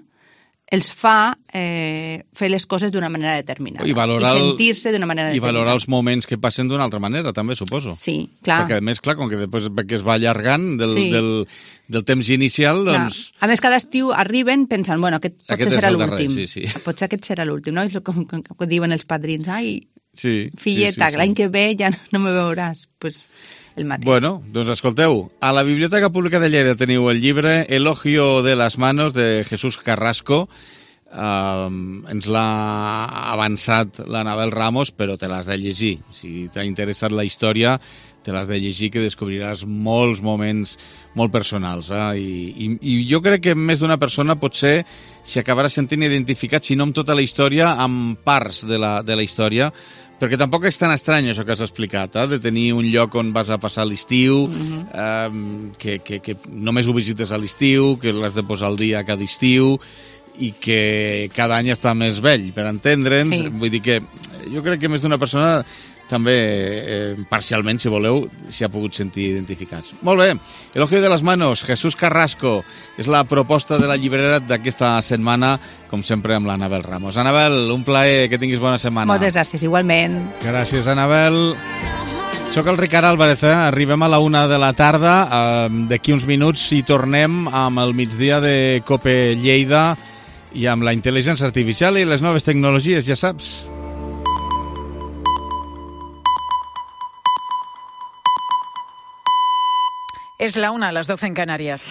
els fa fer les coses d'una manera determinada. I sentir-se d'una manera determinada. I valorar els moments que passen d'una altra manera, també, suposo. Sí, clar. Perquè, a més, clar, com que després es va allargant del temps inicial, doncs... A més, cada estiu arriben pensant, bueno, aquest potser serà l'últim. Sí. Potser aquest serà l'últim, no? És com diuen els padrins, ai, filleta, sí. L'any que ve ja no me veuràs. Pues el mateix. Bueno, doncs escolteu, a la Biblioteca Pública de Lleida teniu el llibre Elogio de las manos de Jesús Carrasco. Ens l'ha avançat l'Anabel Ramos, però te l'has de llegir. Si t'ha interessat la història, te l'has de llegir, que descobriràs molts moments molt personals. I jo crec que més d'una persona potser s'hi acabarà sentint identificat, si no amb tota la història, amb parts de la història, perquè tampoc és tan estrany això que has explicat, de tenir un lloc on vas a passar l'estiu, que només ho visites a l'estiu, que l'has de posar al dia cada estiu, i que cada any està més vell, per entendre'ns. Vull dir que jo crec que més d'una persona també parcialment, si voleu, s'hi ha pogut sentir identificats. Molt bé, Elogio de las manos, Jesús Carrasco, és la proposta de la llibrera d'aquesta setmana, com sempre amb l'Anabel Ramos. Anabel, un plaer, que tinguis bona setmana. Moltes gràcies, igualment. Gràcies, Anabel. Soc el Ricard Álvarez, arribem a la 1 de la tarda, d'aquí uns minuts hi tornem amb el migdia de COPE Lleida i amb la intel·ligència artificial i les noves tecnologies, ja saps. Es la 1, las 12 en Canarias.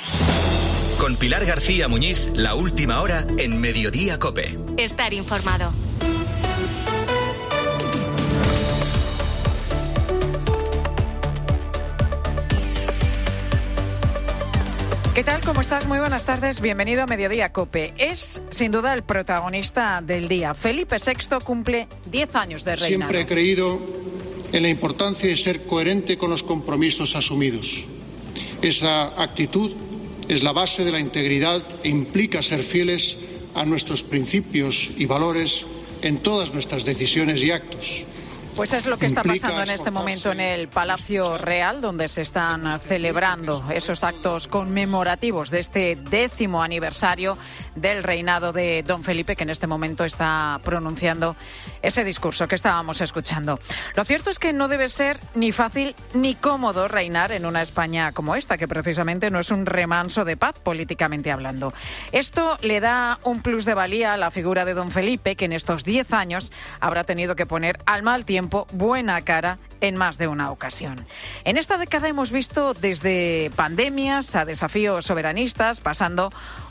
Con Pilar García Muñiz, la última hora en Mediodía COPE. Estar informado. ¿Qué tal? ¿Cómo estás? Muy buenas tardes. Bienvenido a Mediodía COPE. Es, sin duda, el protagonista del día. Felipe VI cumple 10 años de reinado. Siempre he creído en la importancia de ser coherente con los compromisos asumidos. Esa actitud es la base de la integridad e implica ser fieles a nuestros principios y valores en todas nuestras decisiones y actos. Pues es lo que está pasando en este momento en el Palacio Real, donde se están celebrando esos actos conmemorativos de este 10º aniversario del reinado de don Felipe, que en este momento está pronunciando ese discurso que estábamos escuchando. Lo cierto es que no debe ser ni fácil ni cómodo reinar en una España como esta, que precisamente no es un remanso de paz políticamente hablando. Esto le da un plus de valía a la figura de don Felipe, que en estos 10 años habrá tenido que poner al mal tiempo buena cara en más de una ocasión. En esta década hemos visto desde pandemias a desafíos soberanistas, pasando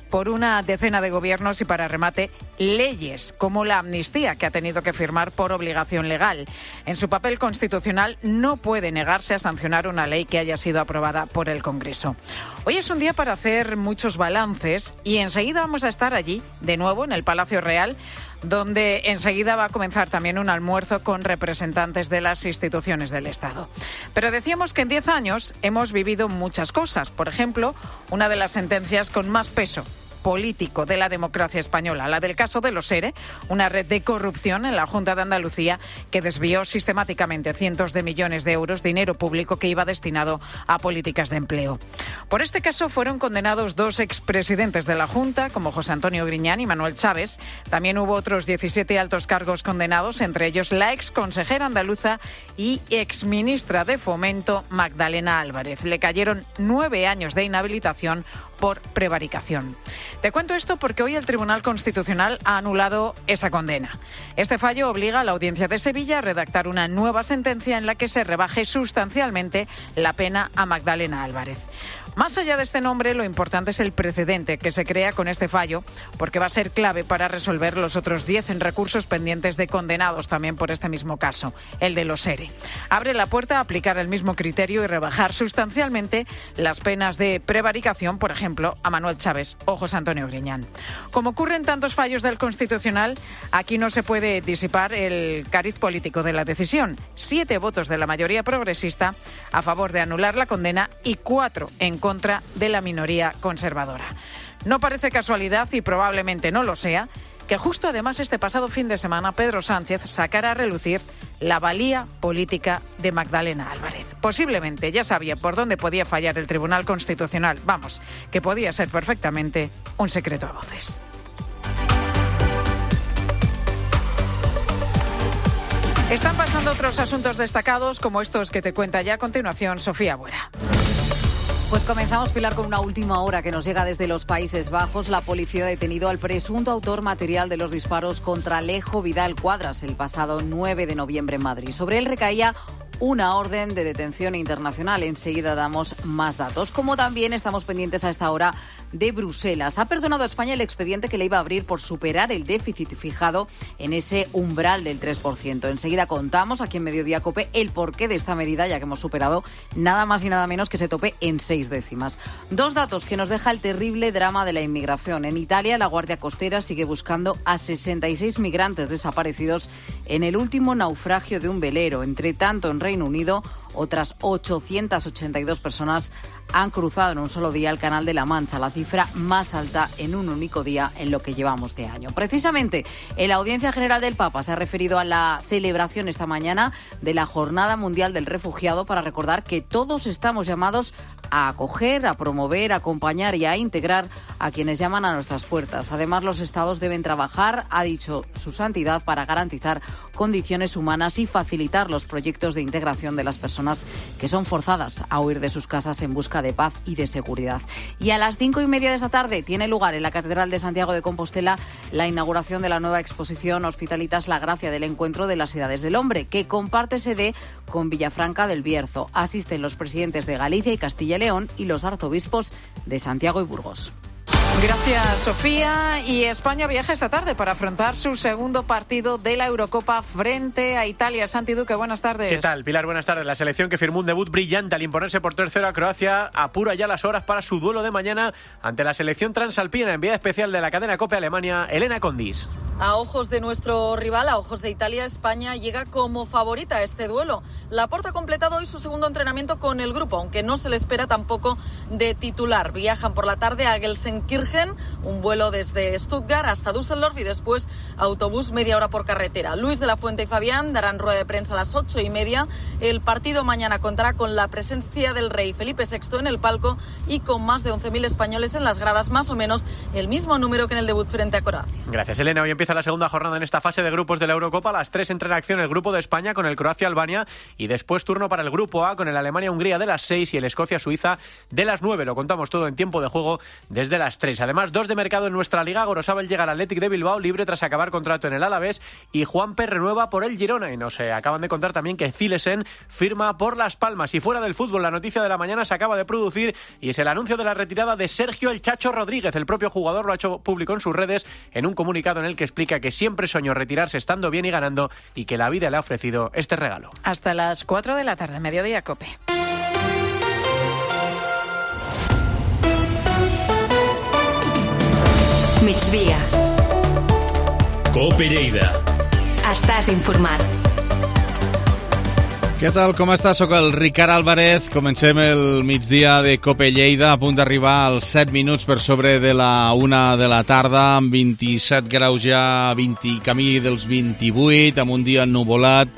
por una decena de gobiernos y, para remate, leyes como la amnistía que ha tenido que firmar por obligación legal. En su papel constitucional no puede negarse a sancionar una ley que haya sido aprobada por el Congreso. Hoy es un día para hacer muchos balances y enseguida vamos a estar allí, de nuevo, en el Palacio Real, donde enseguida va a comenzar también un almuerzo con representantes de las instituciones del Estado. Pero decíamos que en 10 años hemos vivido muchas cosas. Por ejemplo, una de las sentencias con más peso político de la democracia española, la del caso de los ERE, una red de corrupción en la Junta de Andalucía que desvió sistemáticamente cientos de millones de euros, dinero público que iba destinado a políticas de empleo. Por este caso fueron condenados 2 expresidentes de la Junta, como José Antonio Griñán y Manuel Chávez. También hubo otros 17 altos cargos condenados, entre ellos la exconsejera andaluza y exministra de Fomento, Magdalena Álvarez. Le cayeron 9 años de inhabilitación por prevaricación. Te cuento esto porque hoy el Tribunal Constitucional ha anulado esa condena. Este fallo obliga a la Audiencia de Sevilla a redactar una nueva sentencia en la que se rebaje sustancialmente la pena a Magdalena Álvarez. Más allá de este nombre, lo importante es el precedente que se crea con este fallo, porque va a ser clave para resolver los otros 10 en recursos pendientes de condenados también por este mismo caso, el de los ERE. Abre la puerta a aplicar el mismo criterio y rebajar sustancialmente las penas de prevaricación, por ejemplo, a Manuel Chávez o José Antonio Griñán. Como ocurre en tantos fallos del Constitucional, aquí no se puede disipar el cariz político de la decisión. 7 votos de la mayoría progresista a favor de anular la condena y 4 en contra de la minoría conservadora. No parece casualidad, y probablemente no lo sea, que justo además este pasado fin de semana Pedro Sánchez sacara a relucir la valía política de Magdalena Álvarez. Posiblemente ya sabía por dónde podía fallar el Tribunal Constitucional. Vamos, que podía ser perfectamente un secreto a voces. Están pasando otros asuntos destacados, como estos que te cuenta ya a continuación Sofía Buera. Pues comenzamos, Pilar, con una última hora que nos llega desde los Países Bajos. La policía ha detenido al presunto autor material de los disparos contra Alejo Vidal Cuadras el pasado 9 de noviembre en Madrid. Sobre él recaía una orden de detención internacional. Enseguida damos más datos. Como también estamos pendientes a esta hora de Bruselas. Ha perdonado a España el expediente que le iba a abrir por superar el déficit fijado en ese umbral del 3%. Enseguida contamos aquí en Mediodía COPE el porqué de esta medida, ya que hemos superado nada más y nada menos que ese tope en 6 décimas. 2 datos que nos deja el terrible drama de la inmigración. En Italia, la Guardia Costera sigue buscando a 66 migrantes desaparecidos en el último naufragio de un velero. Entre tanto, en Reino Unido, Otras 882 personas han cruzado en un solo día el Canal de la Mancha, la cifra más alta en un único día en lo que llevamos de año. Precisamente, en la Audiencia General del Papa se ha referido a la celebración esta mañana de la Jornada Mundial del Refugiado para recordar que todos estamos llamados a acoger, a promover, a acompañar y a integrar a quienes llaman a nuestras puertas. Además, los estados deben trabajar, ha dicho su santidad, para garantizar condiciones humanas y facilitar los proyectos de integración de las personas que son forzadas a huir de sus casas en busca de paz y de seguridad. Y a las 5:30 de esta tarde tiene lugar en la Catedral de Santiago de Compostela la inauguración de la nueva exposición Hospitalitas La Gracia del Encuentro de las Edades del Hombre, que comparte sede con Villafranca del Bierzo. Asisten los presidentes de Galicia y Castilla y León y los arzobispos de Santiago y Burgos. Gracias, Sofía. Y España viaja esta tarde para afrontar su segundo partido de la Eurocopa frente a Italia. Santi Duque, buenas tardes. ¿Qué tal, Pilar? Buenas tardes. La selección, que firmó un debut brillante al imponerse por 3-0 a Croacia, apura ya las horas para su duelo de mañana ante la selección transalpina, enviada especial de la cadena COPE Alemania, Elena Condis. A ojos de nuestro rival, a ojos de Italia, España llega como favorita a este duelo. Laporta ha completado hoy su segundo entrenamiento con el grupo, aunque no se le espera tampoco de titular. Viajan por la tarde a Gelsenkirchen, un vuelo desde Stuttgart hasta Düsseldorf y después autobús media hora por carretera. Luis de la Fuente y Fabián darán rueda de prensa a las 8:30. El partido mañana contará con la presencia del rey Felipe VI en el palco y con más de 11.000 españoles en las gradas, más o menos el mismo número que en el debut frente a Croacia. Gracias, Elena. Hoy empieza la segunda jornada en esta fase de grupos de la Eurocopa. A las 3 entra en acción el grupo de España con el Croacia-Albania y después turno para el grupo A con el Alemania-Hungría de las 6 y el Escocia-Suiza de las 9. Lo contamos todo en tiempo de juego desde las 3. Además, 2 de mercado en nuestra liga. Gorosabel llega al Athletic de Bilbao libre tras acabar contrato en el Alavés y Juanpe renueva por el Girona. Y nos acaban de contar también que Zilesen firma por Las Palmas. Y fuera del fútbol, la noticia de la mañana se acaba de producir y es el anuncio de la retirada de Sergio El Chacho Rodríguez. El propio jugador lo ha hecho público en sus redes en un comunicado en el que explica que siempre soñó retirarse estando bien y ganando y que la vida le ha ofrecido este regalo. Hasta las 4 de la tarde, Mediodía COPE. Migdia. COPE Lleida. Estàs informat. Què tal, com estàs? Soc el Ricard Álvarez. Comencem el migdia de COPE Lleida, a punt d'arribar als 7 minuts per sobre de la 1 de la tarda, amb 27 graus ja, camí dels 28, amb un dia ennuvolat,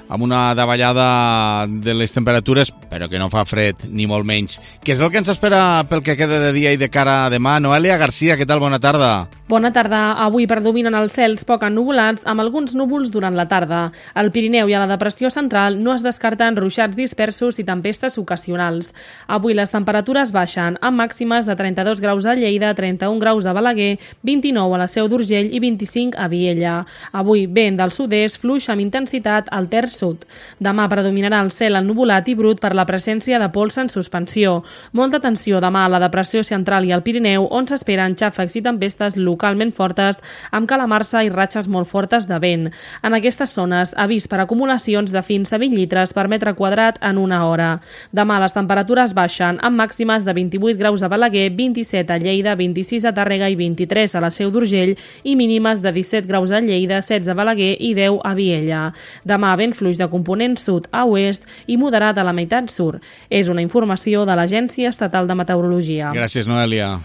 amb una davallada de les temperatures, però que no fa fred, ni molt menys. Què és el que ens espera pel que queda de dia i de cara a demà? Noelia Garcia, què tal? Bona tarda. Bona tarda. Avui predominen els cels poc ennuvolats, amb alguns núvols durant la tarda. Al Pirineu i a la depressió central no es descarten ruixats dispersos i tempestes ocasionals. Avui les temperatures baixen, amb màximes de 32 graus a Lleida, 31 graus a Balaguer, 29 a la Seu d'Urgell i 25 a Viella. Avui vent del sud-est, fluix amb intensitat al terç sud. Demà predominarà el cel ennuvolat i brut per la presència de pols en suspensió. Molta atenció demà a la depressió central i al Pirineu, on s'esperen xàfecs i tempestes localment fortes, amb calamarsa i ratxes molt fortes de vent. En aquestes zones, avís per acumulacions de fins a 20 litres per metre quadrat en una hora. Demà les temperatures baixen, amb màximes de 28 graus a Balaguer, 27 a Lleida, 26 a Tàrrega i 23 a la Seu d'Urgell i mínimes de 17 graus a Lleida, 16 a Balaguer i 10 a Viella. Demà vent fluix de component sud a oest i moderat a la meitat sur. És una informació de l'Agència Estatal de Meteorologia. Gràcies, Noelia.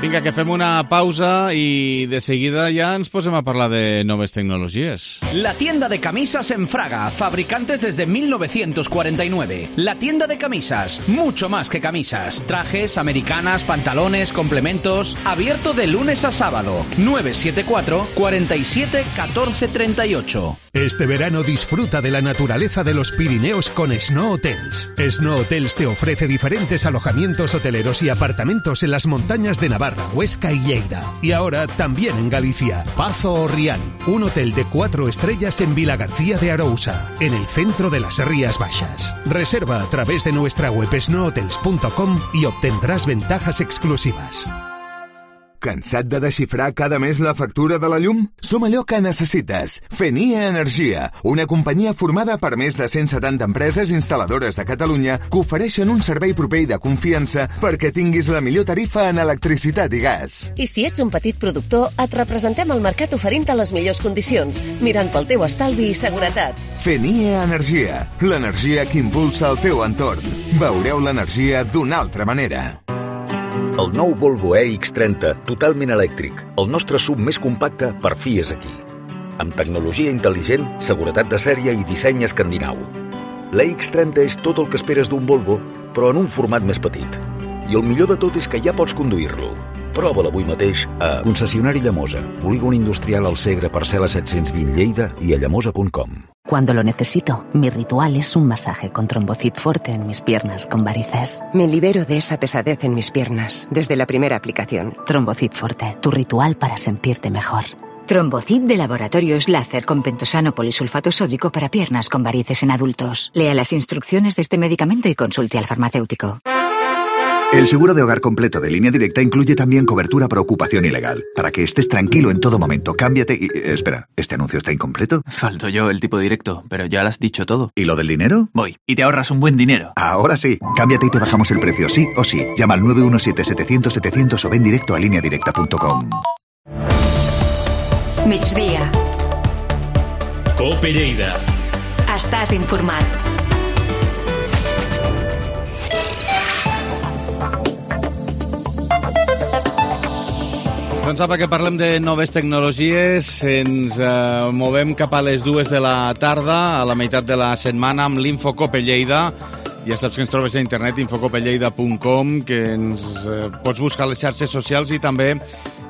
Vinga, que fem una pausa y de seguida ya nos posem a parlar de noves tecnologías. La tienda de camisas en Fraga, fabricantes desde 1949. La tienda de camisas, mucho más que camisas. Trajes, americanas, pantalones, complementos. Abierto de lunes a sábado. 974 47 14 38. Este verano disfruta de la naturaleza de los Pirineos con Snow Hotels. Snow Hotels te ofrece diferentes alojamientos hoteleros y apartamentos en las montañas de Navarra, Huesca y Lleida. Y ahora también en Galicia. Pazo Orrián, un hotel de 4 estrellas en Vilagarcía de Arousa, en el centro de las Rías Baixas. Reserva a través de nuestra web snowhotels.com y obtendrás ventajas exclusivas. Cansat de desxifrar cada mes la factura de la llum? Som allò que necessites. Fenia Energia, una companyia formada per més de 170 empreses instal·ladores de Catalunya que ofereixen un servei proper i de confiança perquè tinguis la millor tarifa en electricitat i gas. I si ets un petit productor, et representem al mercat oferint-te les millors condicions, mirant pel teu estalvi i seguretat. Fenia Energia, l'energia que impulsa el teu entorn. Veureu l'energia d'una altra manera. El nou Volvo EX30, totalment elèctric. El nostre SUV més compacte per fi és aquí. Amb tecnologia intel·ligent, seguretat de sèrie i disseny escandinau. L'EX30 és tot el que esperes d'un Volvo, però en un format més petit. I el millor de tot és que ja pots conduir-lo. Prova'l avui mateix a Concessionari Llamosa, Polígon Industrial al Segre, Parcel·la 720 Lleida i a llamosa.com. Cuando lo necesito, mi ritual es un masaje con Trombocid Forte en mis piernas con varices. Me libero de esa pesadez en mis piernas desde la primera aplicación. Trombocid Forte, tu ritual para sentirte mejor. Trombocid de Laboratorios Láser con pentosano polisulfato sódico para piernas con varices en adultos. Lea las instrucciones de este medicamento y consulte al farmacéutico. El seguro de hogar completo de Línea Directa incluye también cobertura por ocupación ilegal. Para que estés tranquilo en todo momento, cámbiate y... espera, ¿este anuncio está incompleto? Falto yo el tipo directo, pero ya lo has dicho todo. ¿Y lo del dinero? Voy, y te ahorras un buen dinero. Ahora sí, cámbiate y te bajamos el precio, sí o sí. Llama al 917-700-700 o ven directo a lineadirecta.com. Migdia. Cope Lleida. Estàs informat. Doncs apa, que parlem de noves tecnologies, ens movem cap a les 2 de la tarda, a la meitat de la setmana, amb l'Infocope Lleida. Ja saps que ens trobes a internet, infocopelleida.com, que ens pots buscar a les xarxes socials i també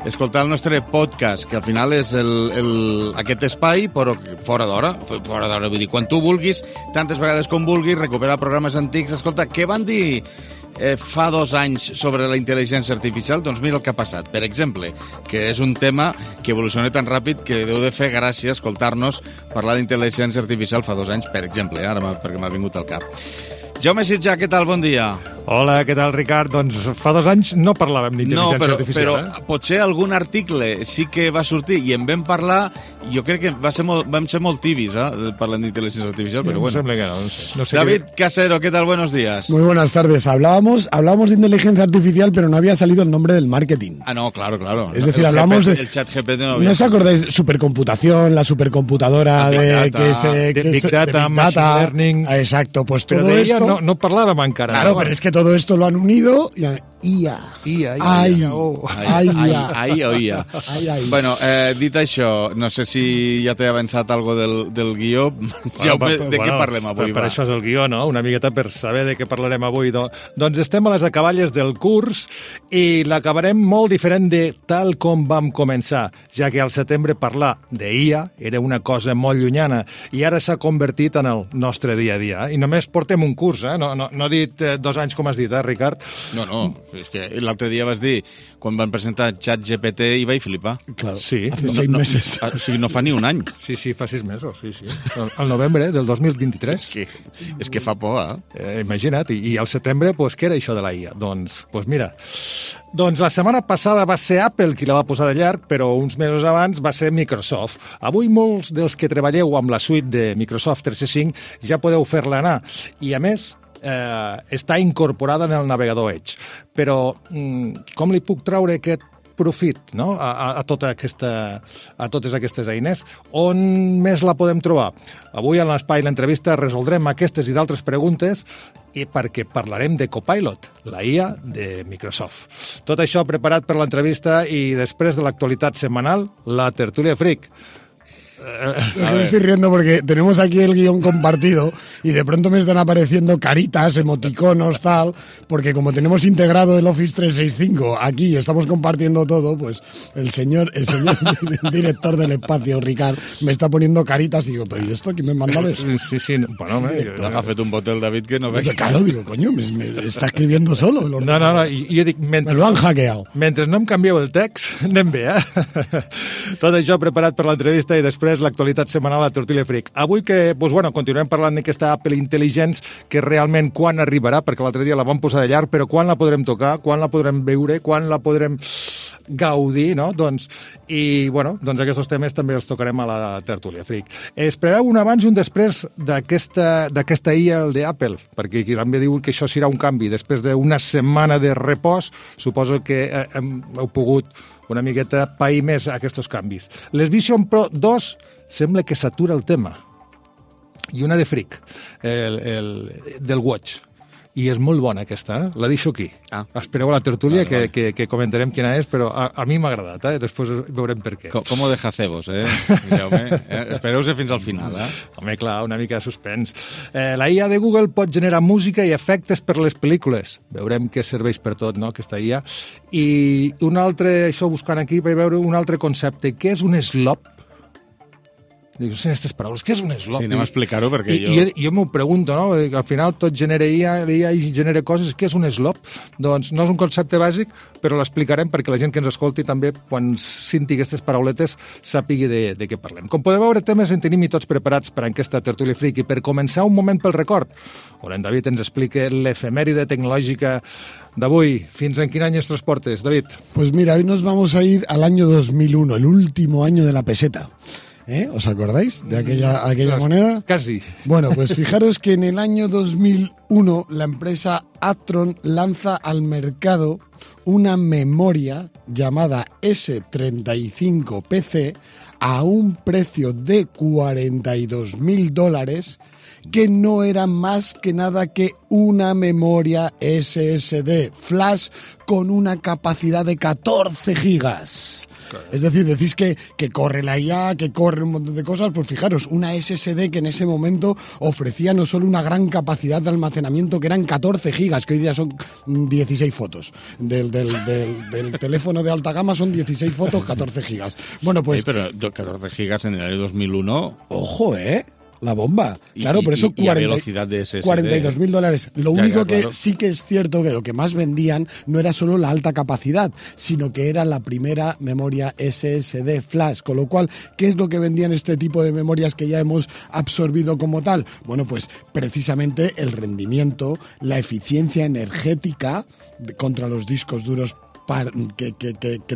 escoltar el nostre podcast, que al final és aquest espai, però fora d'hora, vull dir, quan tu vulguis, tantes vegades com vulguis, recuperar programes antics. Escolta, què van dir fa 2 anys sobre la intel·ligència artificial? Doncs mira el que ha passat. Per exemple, que és un tema que evoluciona tan ràpid que deu de fer gràcia escoltar-nos parlar d'intel·ligència artificial fa 2 anys, per exemple, ara perquè m'ha vingut al cap. Jaume Sitjà, què tal? Bon dia. Hola, què tal, Ricard? Doncs fa 2 anys no parlàvem d'intel·ligència artificial. No, però potser algun article sí que va sortir i en vam parlar. Jo crec que vam ser molt tibis, parlant d'intel·ligència artificial, pero bueno. Sembla que no sé David Casero, ¿qué tal? Buenos días. Muy buenas tardes. Hablábamos de inteligencia artificial, pero no había salido el nombre del marketing. Ah, no, claro. Es decir, hablamos de... El chat GPT no había. ¿No os acordáis? Supercomputación, la supercomputadora Big Data, Machine Learning... Exacto, pues todo esto... No parlàvem encara. Claro, pero es que todo esto lo han unido... IA. Bueno, dit això, no sé si ja t'he avançat algo del guió. Jaume, de què parlem avui? Per això és el guió, no? Una miqueta per saber de què parlarem avui. Doncs estem a les acaballes del curs i l'acabarem molt diferent de tal com vam començar, ja que al setembre parlar d'IA era una cosa molt llunyana i ara s'ha convertit en el nostre dia a dia. I només portem un curs, no he dit 2 anys com has dit, Ricard? No. És que l'altre dia vas dir, quan van presentar ChatGPT, i vaig flipar. Claro, sí. Hace 6 meses. O sigui, no fa ni un any. Sí, fa 6 mesos, sí. Al novembre del 2023. És que fa por, imagina't, i al setembre, pues, què era això de la IA? Doncs mira, la setmana passada va ser Apple qui la va posar de llarg, però uns mesos abans va ser Microsoft. Avui molts dels que treballeu amb la suite de Microsoft 365 ja podeu fer-la anar. I a més, està incorporada en el navegador Edge. Però com li puc traure aquest profit, no? a totes aquestes eines? On més la podem trobar? Avui en l'espai l'entrevista resoldrem aquestes i d'altres preguntes i perquè parlarem de Copilot, la IA de Microsoft. Tot això preparat per l'entrevista i després de l'actualitat setmanal, la tertúlia Freak. Es que me estoy riendo porque tenemos aquí el guión compartido y de pronto me están apareciendo caritas, emoticonos, tal, porque como tenemos integrado el Office 365 aquí y estamos compartiendo todo, pues el señor director del espacio, Ricard, me está poniendo caritas y digo, pero ¿y esto quién me manda eso? Sí, bueno, ha fet un botel David que no ve. Claro, digo, coño, me está escribiendo solo. No, jo dic, me lo han hackeado. Mentre no em canvieu el text, anem bé, Tot això preparat per l'entrevista i després l'actualitat setmanal a Tertúlia Freak. Avui que, continuem parlant d'aquesta Apple Intelligence, que realment quan arribarà, perquè l'altre dia la vam posar de llarg, però quan la podrem tocar, quan la podrem veure, quan la podrem gaudir, no? I aquests temes també els tocarem a la tertúlia Freak. Es preveu un abans i un després d'aquesta IA, el d'Apple, perquè també diu que això serà un canvi. Després d'una setmana de repòs, suposo que heu pogut una miqueta pair més aquests canvis. Les Vision Pro 2 sembla que s'atura el tema. I una de Freak, del Watch. I és molt bona aquesta, la deixo aquí. Espereu a la tertúlia que comentarem quina és, però a mi m'ha agradat, després veurem per què. Com ho deja cebos, Espereu-se fins al final, Home, clar, una mica de suspens. La IA de Google pot generar música i efectes per les pel·lícules. Veurem què serveix per tot, no?, aquesta IA. I un altre, això buscant aquí, vaig veure un altre concepte. Què és un slop? Dic, sé aquestes paraules, què és un slop? Sí, anem a explicar-ho perquè jo m'ho pregunto, no? Al final tot genera IA i genera coses. Què és un slop? Doncs no és un concepte bàsic, però l'explicarem perquè la gent que ens escolti també, quan senti aquestes parauletes, sàpigui de què parlem. Com podeu veure, temes en tenim i tots preparats per a aquesta tertúlia Freak. I per començar, un moment pel record, on en David ens explica l'efemèride tecnològica d'avui. Fins en quin any ens transportes, David? Pues mira, hoy nos vamos a ir al año 2001, el último año de la peseta. ¿Os acordáis de aquella moneda? Casi. Bueno, pues fijaros que en el año 2001 la empresa Actron lanza al mercado una memoria llamada S35PC a un precio de $42.000, que no era más que nada que una memoria SSD flash con una capacidad de 14 gigas. Es decir, decís que corre la IA, que corre un montón de cosas, pues fijaros, una SSD que en ese momento ofrecía no solo una gran capacidad de almacenamiento, que eran 14 gigas, que hoy día son 16 fotos. Del teléfono de alta gama son 16 fotos, 14 gigas. Bueno, pues... pero 14 gigas en el año 2001... Ojo, la bomba. Claro, por eso velocidad de SSD. $42.000. Lo único que sí que es cierto que lo que más vendían no era solo la alta capacidad, sino que era la primera memoria SSD flash. Con lo cual, ¿qué es lo que vendían este tipo de memorias que ya hemos absorbido como tal? Bueno, pues precisamente el rendimiento, la eficiencia energética contra los discos duros que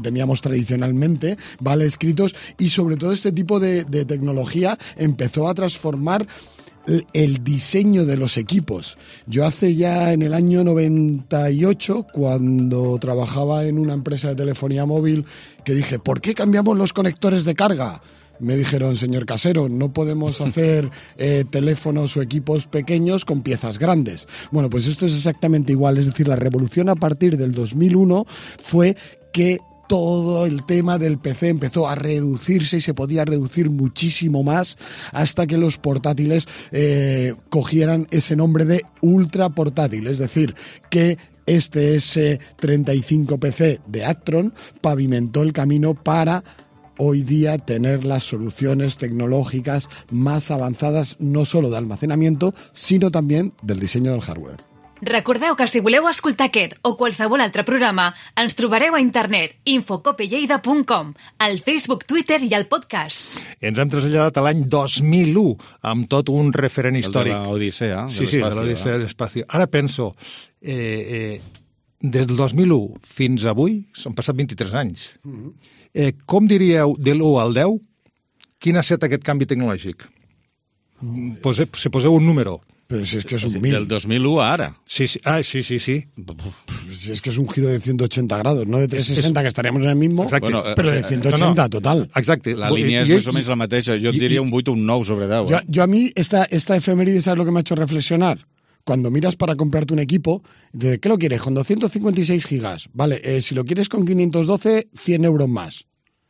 teníamos tradicionalmente, ¿vale? Escritos, y sobre todo este tipo de tecnología empezó a transformar el diseño de los equipos. Yo hace ya en el año 98, cuando trabajaba en una empresa de telefonía móvil, que dije, ¿por qué cambiamos los conectores de carga? Me dijeron, señor casero, no podemos hacer teléfonos o equipos pequeños con piezas grandes. Bueno, pues esto es exactamente igual. Es decir, la revolución a partir del 2001 fue que todo el tema del PC empezó a reducirse y se podía reducir muchísimo más hasta que los portátiles cogieran ese nombre de ultra portátil. Es decir, que este S35PC de Actron pavimentó el camino para hoy día tener las soluciones tecnológicas más avanzadas, no solo de almacenamiento, sinó també del disseny del hardware. Recordeu que si voleu escoltar aquest o qualsevol altre programa, ens trobareu a internet infocopelleida.com, al Facebook, Twitter i al podcast. Ens hem traslladat a l'any 2001 amb tot un referent històric. El de l'Odissea. Sí, de l'Odissea de l'espaci. Ara penso, des del 2001 fins avui, s'han passat 23 anys. Com diríeu, de l'1 al 10, quin ha estat aquest canvi tecnològic? Si poseu un número. Pero si es que es un del 2001 a ahora. Sí. Si es que es un giro de 180 grados, no de 360, que estaríamos en el mismo, bueno, pero de 180 total. Exacte. La línia és més o menys la mateixa. Jo diria un 8 o un 9 sobre 10. Yo a mí, esta efeméride, ¿sabes lo que me ha hecho reflexionar? Cuando miras para comprarte un equipo, ¿de qué lo quieres? Con 256 gigas. Vale, si lo quieres con 512, 100 euros más.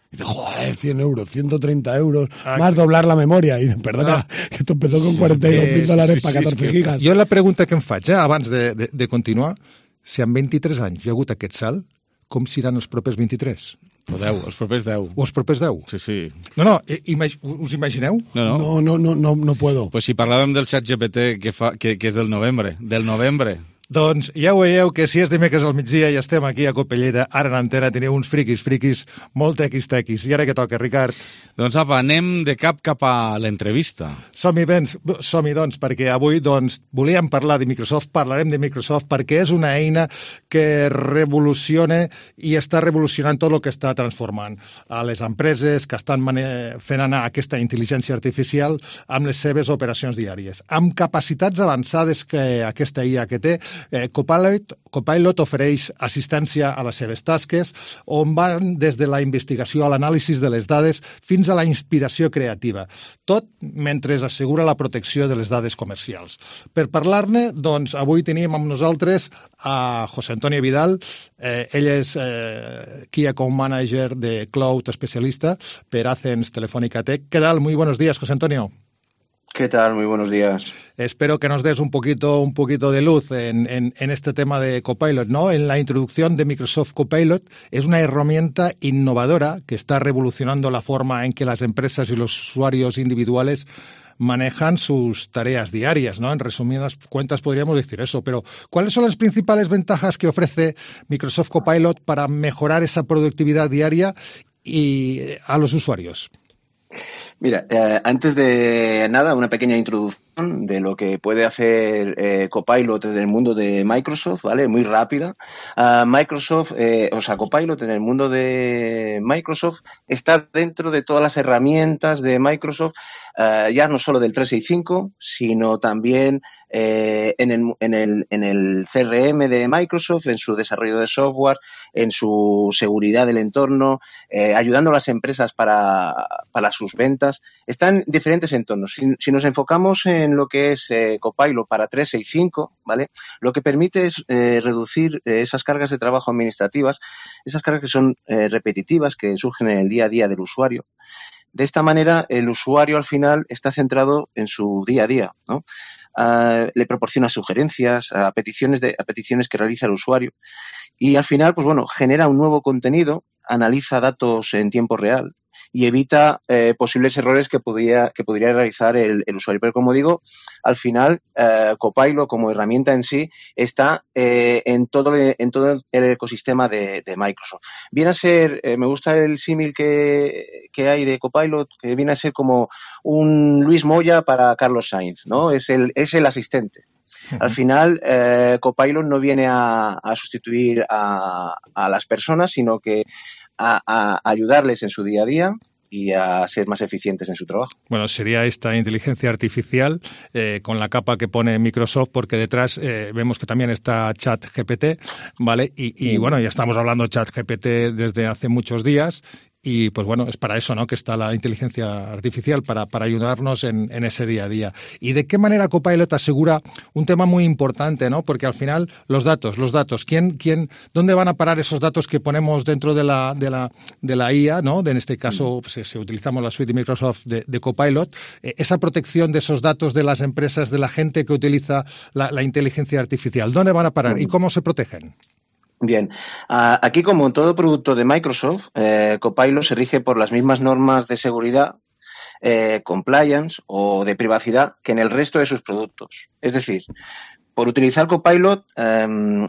Y dices, joder, 100 euros, 130 euros, más doblar la memoria. Y dices, perdona, que esto empezó con $42.000 para 14 gigas. Jo la pregunta que em faig, abans de continuar, si en 23 anys hi ha hagut aquest salt, com seran els propers 23? O 10, els propers 10. O els propers 10? Sí. No, us imagineu? No puedo. Pues si parlàvem del xat GPT que és del novembre. Doncs ja ho veieu que si és dimecres al migdia i estem aquí a Copellera, ara en antena teniu uns friquis molt tequis. I ara què toca, Ricard? Doncs apa, anem de cap a l'entrevista. Som-hi, doncs, perquè avui volíem parlar de Microsoft, parlarem de Microsoft perquè és una eina que revoluciona i està revolucionant tot el que està transformant a les empreses que estan fent anar aquesta intel·ligència artificial amb les seves operacions diàries. Amb capacitats avançades que aquesta IA que té, Copilot ofereix assistència a les seves tasques, on van des de la investigació a l'anàlisi de les dades fins a la inspiració creativa, tot mentre assegura la protecció de les dades comercials. Per parlar-ne, doncs, avui tenim amb nosaltres a José Antonio Vidal. Ell és Key Account Manager de Cloud especialista per Athens Telefónica Tech. ¿Qué tal? Muy buenos días, José Antonio. ¿Qué tal? Muy buenos días. Espero que nos des un poquito de luz en este tema de Copilot, ¿no? En la introducción de Microsoft Copilot es una herramienta innovadora que está revolucionando la forma en que las empresas y los usuarios individuales manejan sus tareas diarias, ¿no? En resumidas cuentas podríamos decir eso, pero ¿cuáles son las principales ventajas que ofrece Microsoft Copilot para mejorar esa productividad diaria y a los usuarios? Mira, antes de nada, una pequeña introducción de lo que puede hacer Copilot en el mundo de Microsoft, ¿vale? Muy rápida. Copilot en el mundo de Microsoft está dentro de todas las herramientas de Microsoft, ya no solo del 365, sino también en el CRM de Microsoft, en su desarrollo de software, en su seguridad del entorno, ayudando a las empresas para sus ventas. Está en diferentes entornos. Si nos enfocamos en lo que es Copilot para 365, ¿vale? Lo que permite es reducir esas cargas de trabajo administrativas, esas cargas que son repetitivas, que surgen en el día a día del usuario. De esta manera, el usuario al final está centrado en su día a día, ¿no? Le proporciona sugerencias a peticiones que realiza el usuario y al final, pues bueno, genera un nuevo contenido, analiza datos en tiempo real y evita posibles errores que podría realizar el usuario. Pero como digo, al final Copilot como herramienta en sí está en todo el ecosistema de Microsoft. Viene a ser, me gusta el símil que hay de Copilot, que viene a ser como un Luis Moya para Carlos Sainz, ¿no? Es el asistente. Al final, Copilot no viene a sustituir a las personas, sino que a ayudarles en su día a día y a ser más eficientes en su trabajo. Bueno, sería esta inteligencia artificial con la capa que pone Microsoft, porque detrás vemos que también está ChatGPT, ¿vale? Y bueno, ya estamos hablando de ChatGPT desde hace muchos días. Y pues bueno, es para eso, ¿no?, que está la inteligencia artificial, para ayudarnos en ese día a día. ¿Y de qué manera Copilot asegura un tema muy importante, ¿no? Porque al final los datos, ¿dónde van a parar esos datos que ponemos dentro de la IA, ¿no? En este caso, pues, si utilizamos la suite de Microsoft de Copilot, esa protección de esos datos de las empresas, de la gente que utiliza la inteligencia artificial, ¿dónde van a parar y cómo se protegen? Bien, aquí como en todo producto de Microsoft, Copilot se rige por las mismas normas de seguridad, compliance o de privacidad que en el resto de sus productos. Es decir, por utilizar Copilot,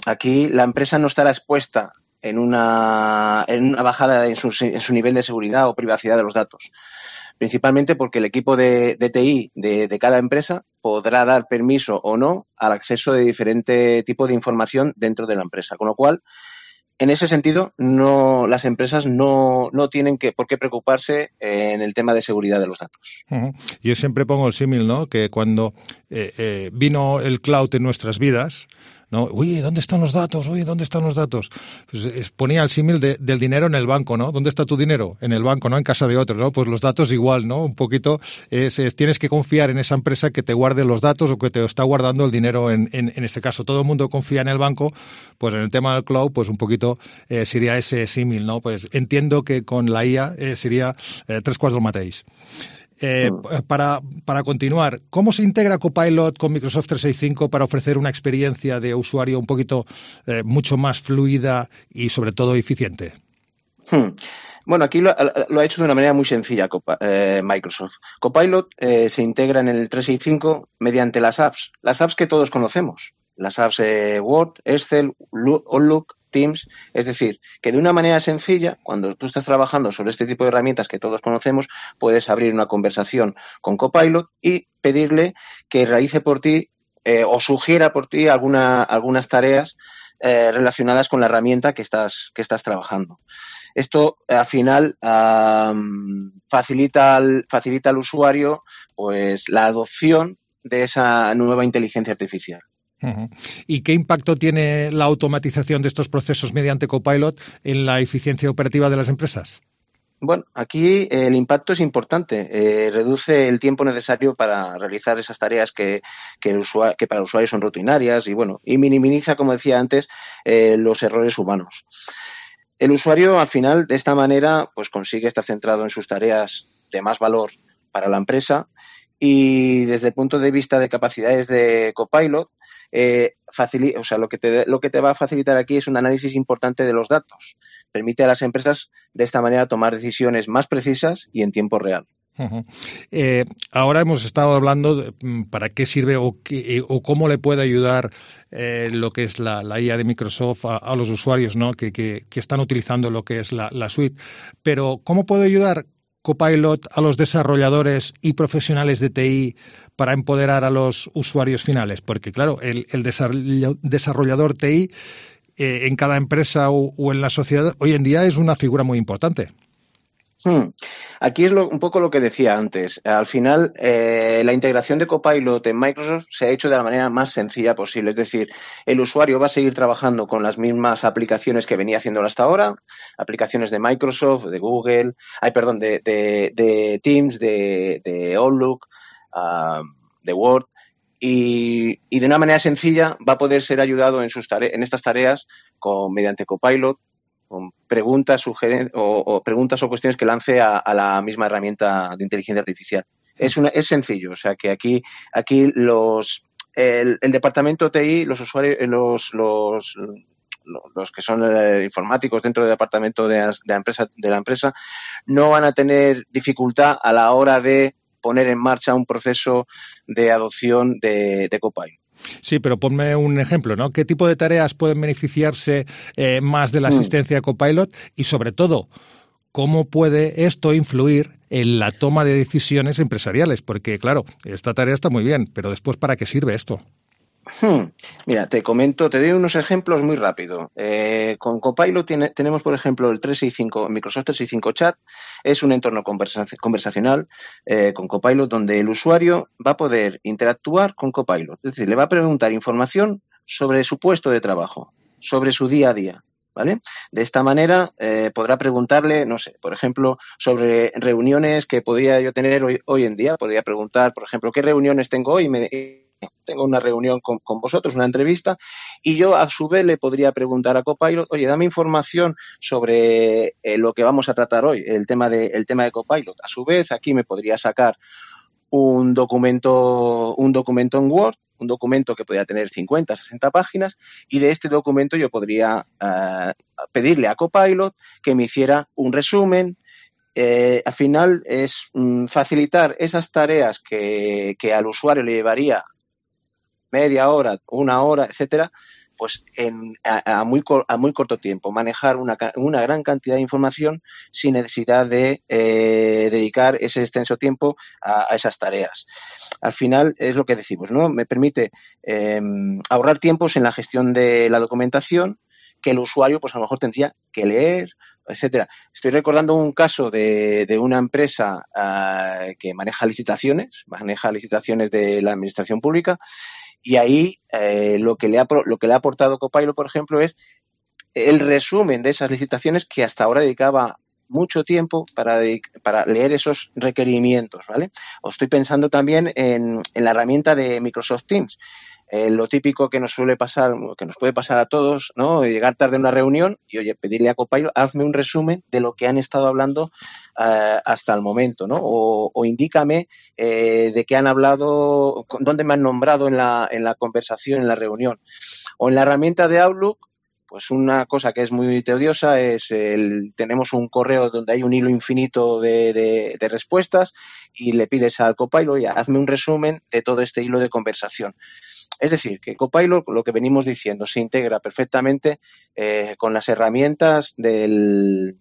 aquí la empresa no estará expuesta en una bajada en su nivel de seguridad o privacidad de los datos. Principalmente porque el equipo de TI de cada empresa podrá dar permiso o no al acceso de diferente tipo de información dentro de la empresa. Con lo cual, en ese sentido, las empresas no tienen por qué preocuparse en el tema de seguridad de los datos. Yo siempre pongo el símil, ¿no?, que cuando vino el cloud en nuestras vidas, ¿no? Uy, ¿dónde están los datos? Pues ponía el símil del dinero en el banco, ¿no? ¿Dónde está tu dinero? En el banco, ¿no? En casa de otro, ¿no? Pues los datos igual, ¿no? Un poquito tienes que confiar en esa empresa que te guarde los datos o que te está guardando el dinero en este caso. Todo el mundo confía en el banco, pues en el tema del cloud, pues un poquito sería ese símil, ¿no? Pues entiendo que con la IA sería tres quarts del mateix. Para continuar, ¿cómo se integra Copilot con Microsoft 365 para ofrecer una experiencia de usuario un poquito mucho más fluida y sobre todo eficiente? Bueno, aquí lo ha hecho de una manera muy sencilla Microsoft. Copilot se integra en el 365 mediante las apps que todos conocemos. las apps Word, Excel, Outlook, Teams, es decir, que de una manera sencilla, cuando tú estás trabajando sobre este tipo de herramientas que todos conocemos, puedes abrir una conversación con Copilot y pedirle que realice por ti o sugiera por ti algunas tareas relacionadas con la herramienta que estás trabajando. Esto al final facilita al usuario pues la adopción de esa nueva inteligencia artificial. Uh-huh. ¿Y qué impacto tiene la automatización de estos procesos mediante Copilot en la eficiencia operativa de las empresas? Bueno, aquí el impacto es importante. Reduce el tiempo necesario para realizar esas tareas que para el usuario son rutinarias y minimiza, como decía antes, los errores humanos. El usuario, al final, de esta manera, pues consigue estar centrado en sus tareas de más valor para la empresa y desde el punto de vista de capacidades de Copilot, lo que te va a facilitar aquí es un análisis importante de los datos. Permite a las empresas de esta manera tomar decisiones más precisas y en tiempo real. Uh-huh. Ahora hemos estado hablando de para qué sirve o cómo le puede ayudar lo que es la IA de Microsoft a los usuarios, ¿no? que están utilizando lo que es la suite. Pero ¿cómo puede ayudar Copilot a los desarrolladores y profesionales de TI para empoderar a los usuarios finales? Porque, claro, el desarrollador TI en cada empresa o en la sociedad hoy en día es una figura muy importante. Aquí es un poco lo que decía antes. Al final, la integración de Copilot en Microsoft se ha hecho de la manera más sencilla posible. Es decir, el usuario va a seguir trabajando con las mismas aplicaciones que venía haciendo hasta ahora, aplicaciones de Microsoft, de Google, de Teams, de Outlook, de Word, y de una manera sencilla va a poder ser ayudado en estas tareas mediante Copilot, con preguntas, o preguntas o cuestiones que lance a la misma herramienta de inteligencia artificial. Es sencillo, o sea que aquí el departamento TI, los usuarios, los que son informáticos dentro del departamento de la empresa, no van a tener dificultad a la hora de poner en marcha un proceso de adopción de Copilot. Sí, pero ponme un ejemplo, ¿no? ¿Qué tipo de tareas pueden beneficiarse más de la asistencia de Copilot? Y sobre todo, ¿cómo puede esto influir en la toma de decisiones empresariales? Porque, claro, esta tarea está muy bien, pero después, ¿para qué sirve esto? Mira, te doy unos ejemplos muy rápido. Con Copilot tenemos, por ejemplo, el Microsoft 365 Chat. Es un entorno conversacional con Copilot donde el usuario va a poder interactuar con Copilot. Es decir, le va a preguntar información sobre su puesto de trabajo, sobre su día a día, ¿vale? De esta manera podrá preguntarle, no sé, por ejemplo, sobre reuniones que podría yo tener hoy en día. Podría preguntar, por ejemplo, ¿qué reuniones tengo hoy? Tengo una reunión con vosotros, una entrevista, y yo a su vez le podría preguntar a Copilot, oye, dame información sobre lo que vamos a tratar hoy, el tema de Copilot. A su vez, aquí me podría sacar un documento en Word, un documento que podría tener 50, 60 páginas, y de este documento yo podría pedirle a Copilot que me hiciera un resumen. Al final es facilitar esas tareas que al usuario le llevaría media hora, una hora, etcétera, pues a muy corto tiempo, manejar una gran cantidad de información sin necesidad de dedicar ese extenso tiempo a esas tareas. Al final es lo que decimos, ¿no? Me permite ahorrar tiempos en la gestión de la documentación que el usuario, pues a lo mejor tendría que leer, etcétera. Estoy recordando un caso de una empresa que maneja licitaciones de la administración pública, y ahí lo que le ha aportado Copilot, por ejemplo, es el resumen de esas licitaciones que hasta ahora dedicaba mucho tiempo para leer esos requerimientos, ¿vale? O estoy pensando también en la herramienta de Microsoft Teams. Lo típico que nos suele pasar, que nos puede pasar a todos, ¿no? Llegar tarde a una reunión y, oye, pedirle a Copilot, hazme un resumen de lo que han estado hablando hasta el momento, ¿no? O indícame de qué han hablado, dónde me han nombrado en la conversación, en la reunión. O en la herramienta de Outlook, pues una cosa que es muy tediosa es tenemos un correo donde hay un hilo infinito de respuestas y le pides al Copilot, oye, hazme un resumen de todo este hilo de conversación. Es decir, que Copilot, lo que venimos diciendo, se integra perfectamente con las herramientas de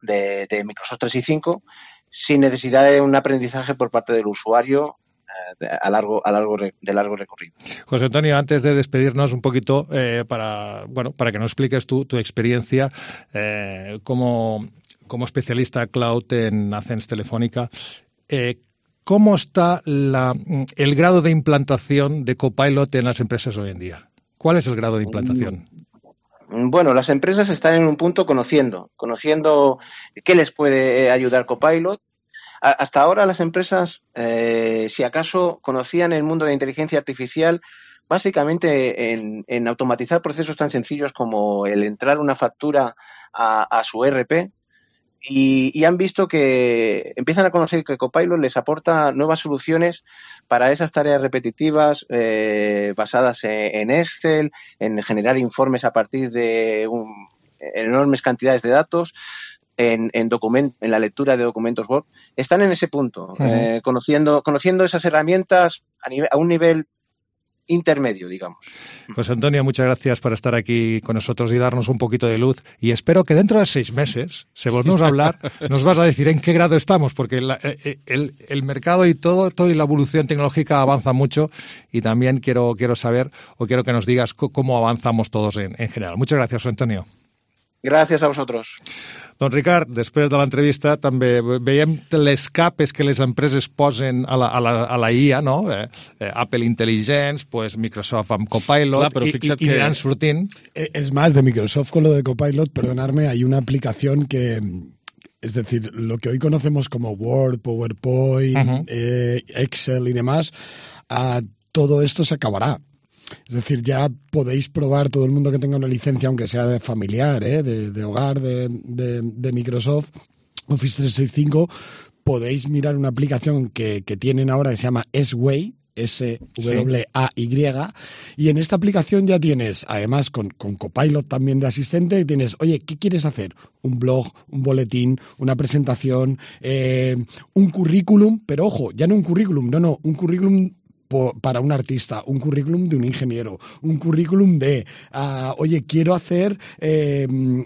Microsoft 365 sin necesidad de un aprendizaje por parte del usuario de largo recorrido. José Antonio, antes de despedirnos un poquito, para que nos expliques tu experiencia como especialista cloud en Ascens Telefónica, ¿cómo está el grado de implantación de Copilot en las empresas hoy en día? ¿Cuál es el grado de implantación? Bueno, las empresas están en un punto conociendo qué les puede ayudar Copilot. Hasta ahora las empresas, si acaso, conocían el mundo de inteligencia artificial básicamente en automatizar procesos tan sencillos como el entrar una factura a su ERP y han visto que empiezan a conocer que Copilot les aporta nuevas soluciones para esas tareas repetitivas basadas en Excel, en generar informes a partir de enormes cantidades de datos. En la lectura de documentos Word, están en ese punto, conociendo esas herramientas a un nivel intermedio, digamos. José Antonio, muchas gracias por estar aquí con nosotros y darnos un poquito de luz, y espero que dentro de 6 meses, si volvemos a hablar, nos vas a decir en qué grado estamos, porque el mercado y todo y la evolución tecnológica avanza mucho, y también quiero saber, o quiero que nos digas cómo avanzamos todos en general. Muchas gracias, José Antonio. Gràcies a vosaltres. Doncs Ricard, després de l'entrevista també veiem les capes que les empreses posen a la IA, no? Apple Intelligence, pues Microsoft amb Copilot. Clar, y aniran sortint. Es más, de Microsoft con lo de Copilot, perdonadme, hay una aplicación que... Es decir, lo que hoy conocemos como Word, PowerPoint, Excel y demás, todo esto se acabará. Es decir, ya podéis probar, todo el mundo que tenga una licencia, aunque sea de familiar, de hogar de Microsoft, Office 365, podéis mirar una aplicación que tienen ahora que se llama S-Way, S-W-A-Y, y en esta aplicación ya tienes, además con Copilot también de asistente, tienes, oye, ¿qué quieres hacer? Un blog, un boletín, una presentación, un currículum, pero ojo, ya no un currículum, un currículum para un artista, un currículum de un ingeniero, un currículum de, oye, quiero hacer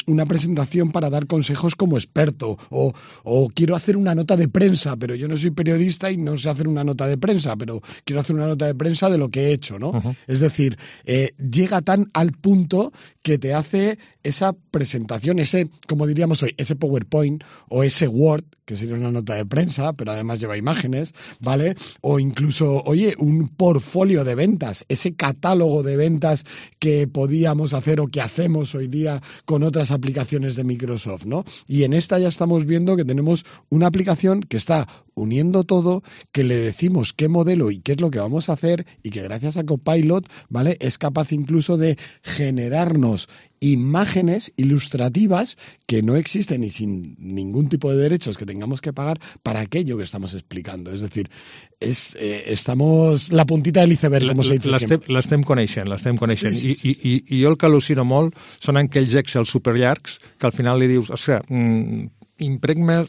una presentación para dar consejos como experto, o quiero hacer una nota de prensa, pero yo no soy periodista y no sé hacer una nota de prensa, pero quiero hacer una nota de prensa de lo que he hecho, ¿no? Es decir, llega tan al punto que te hace esa presentación, ese, como diríamos hoy, ese PowerPoint o ese Word, que sería una nota de prensa, pero además lleva imágenes, ¿vale? O incluso, oye, un portfolio de ventas, ese catálogo de ventas que podíamos hacer o que hacemos hoy día con otras aplicaciones de Microsoft, ¿no? Y en esta ya estamos viendo que tenemos una aplicación que está uniendo todo, que le decimos qué modelo y qué es lo que vamos a hacer, y que gracias a Copilot, ¿vale?, es capaz incluso de generarnos imágenes ilustrativas que no existen y sin ningún tipo de derechos que tengamos que pagar para aquello que estamos explicando. Es decir, estamos la puntita del iceberg, como se dice. L'estem coneixent. Sí. I jo el que al·lucino molt són aquells Excel superllargs que al final li dius, impregna...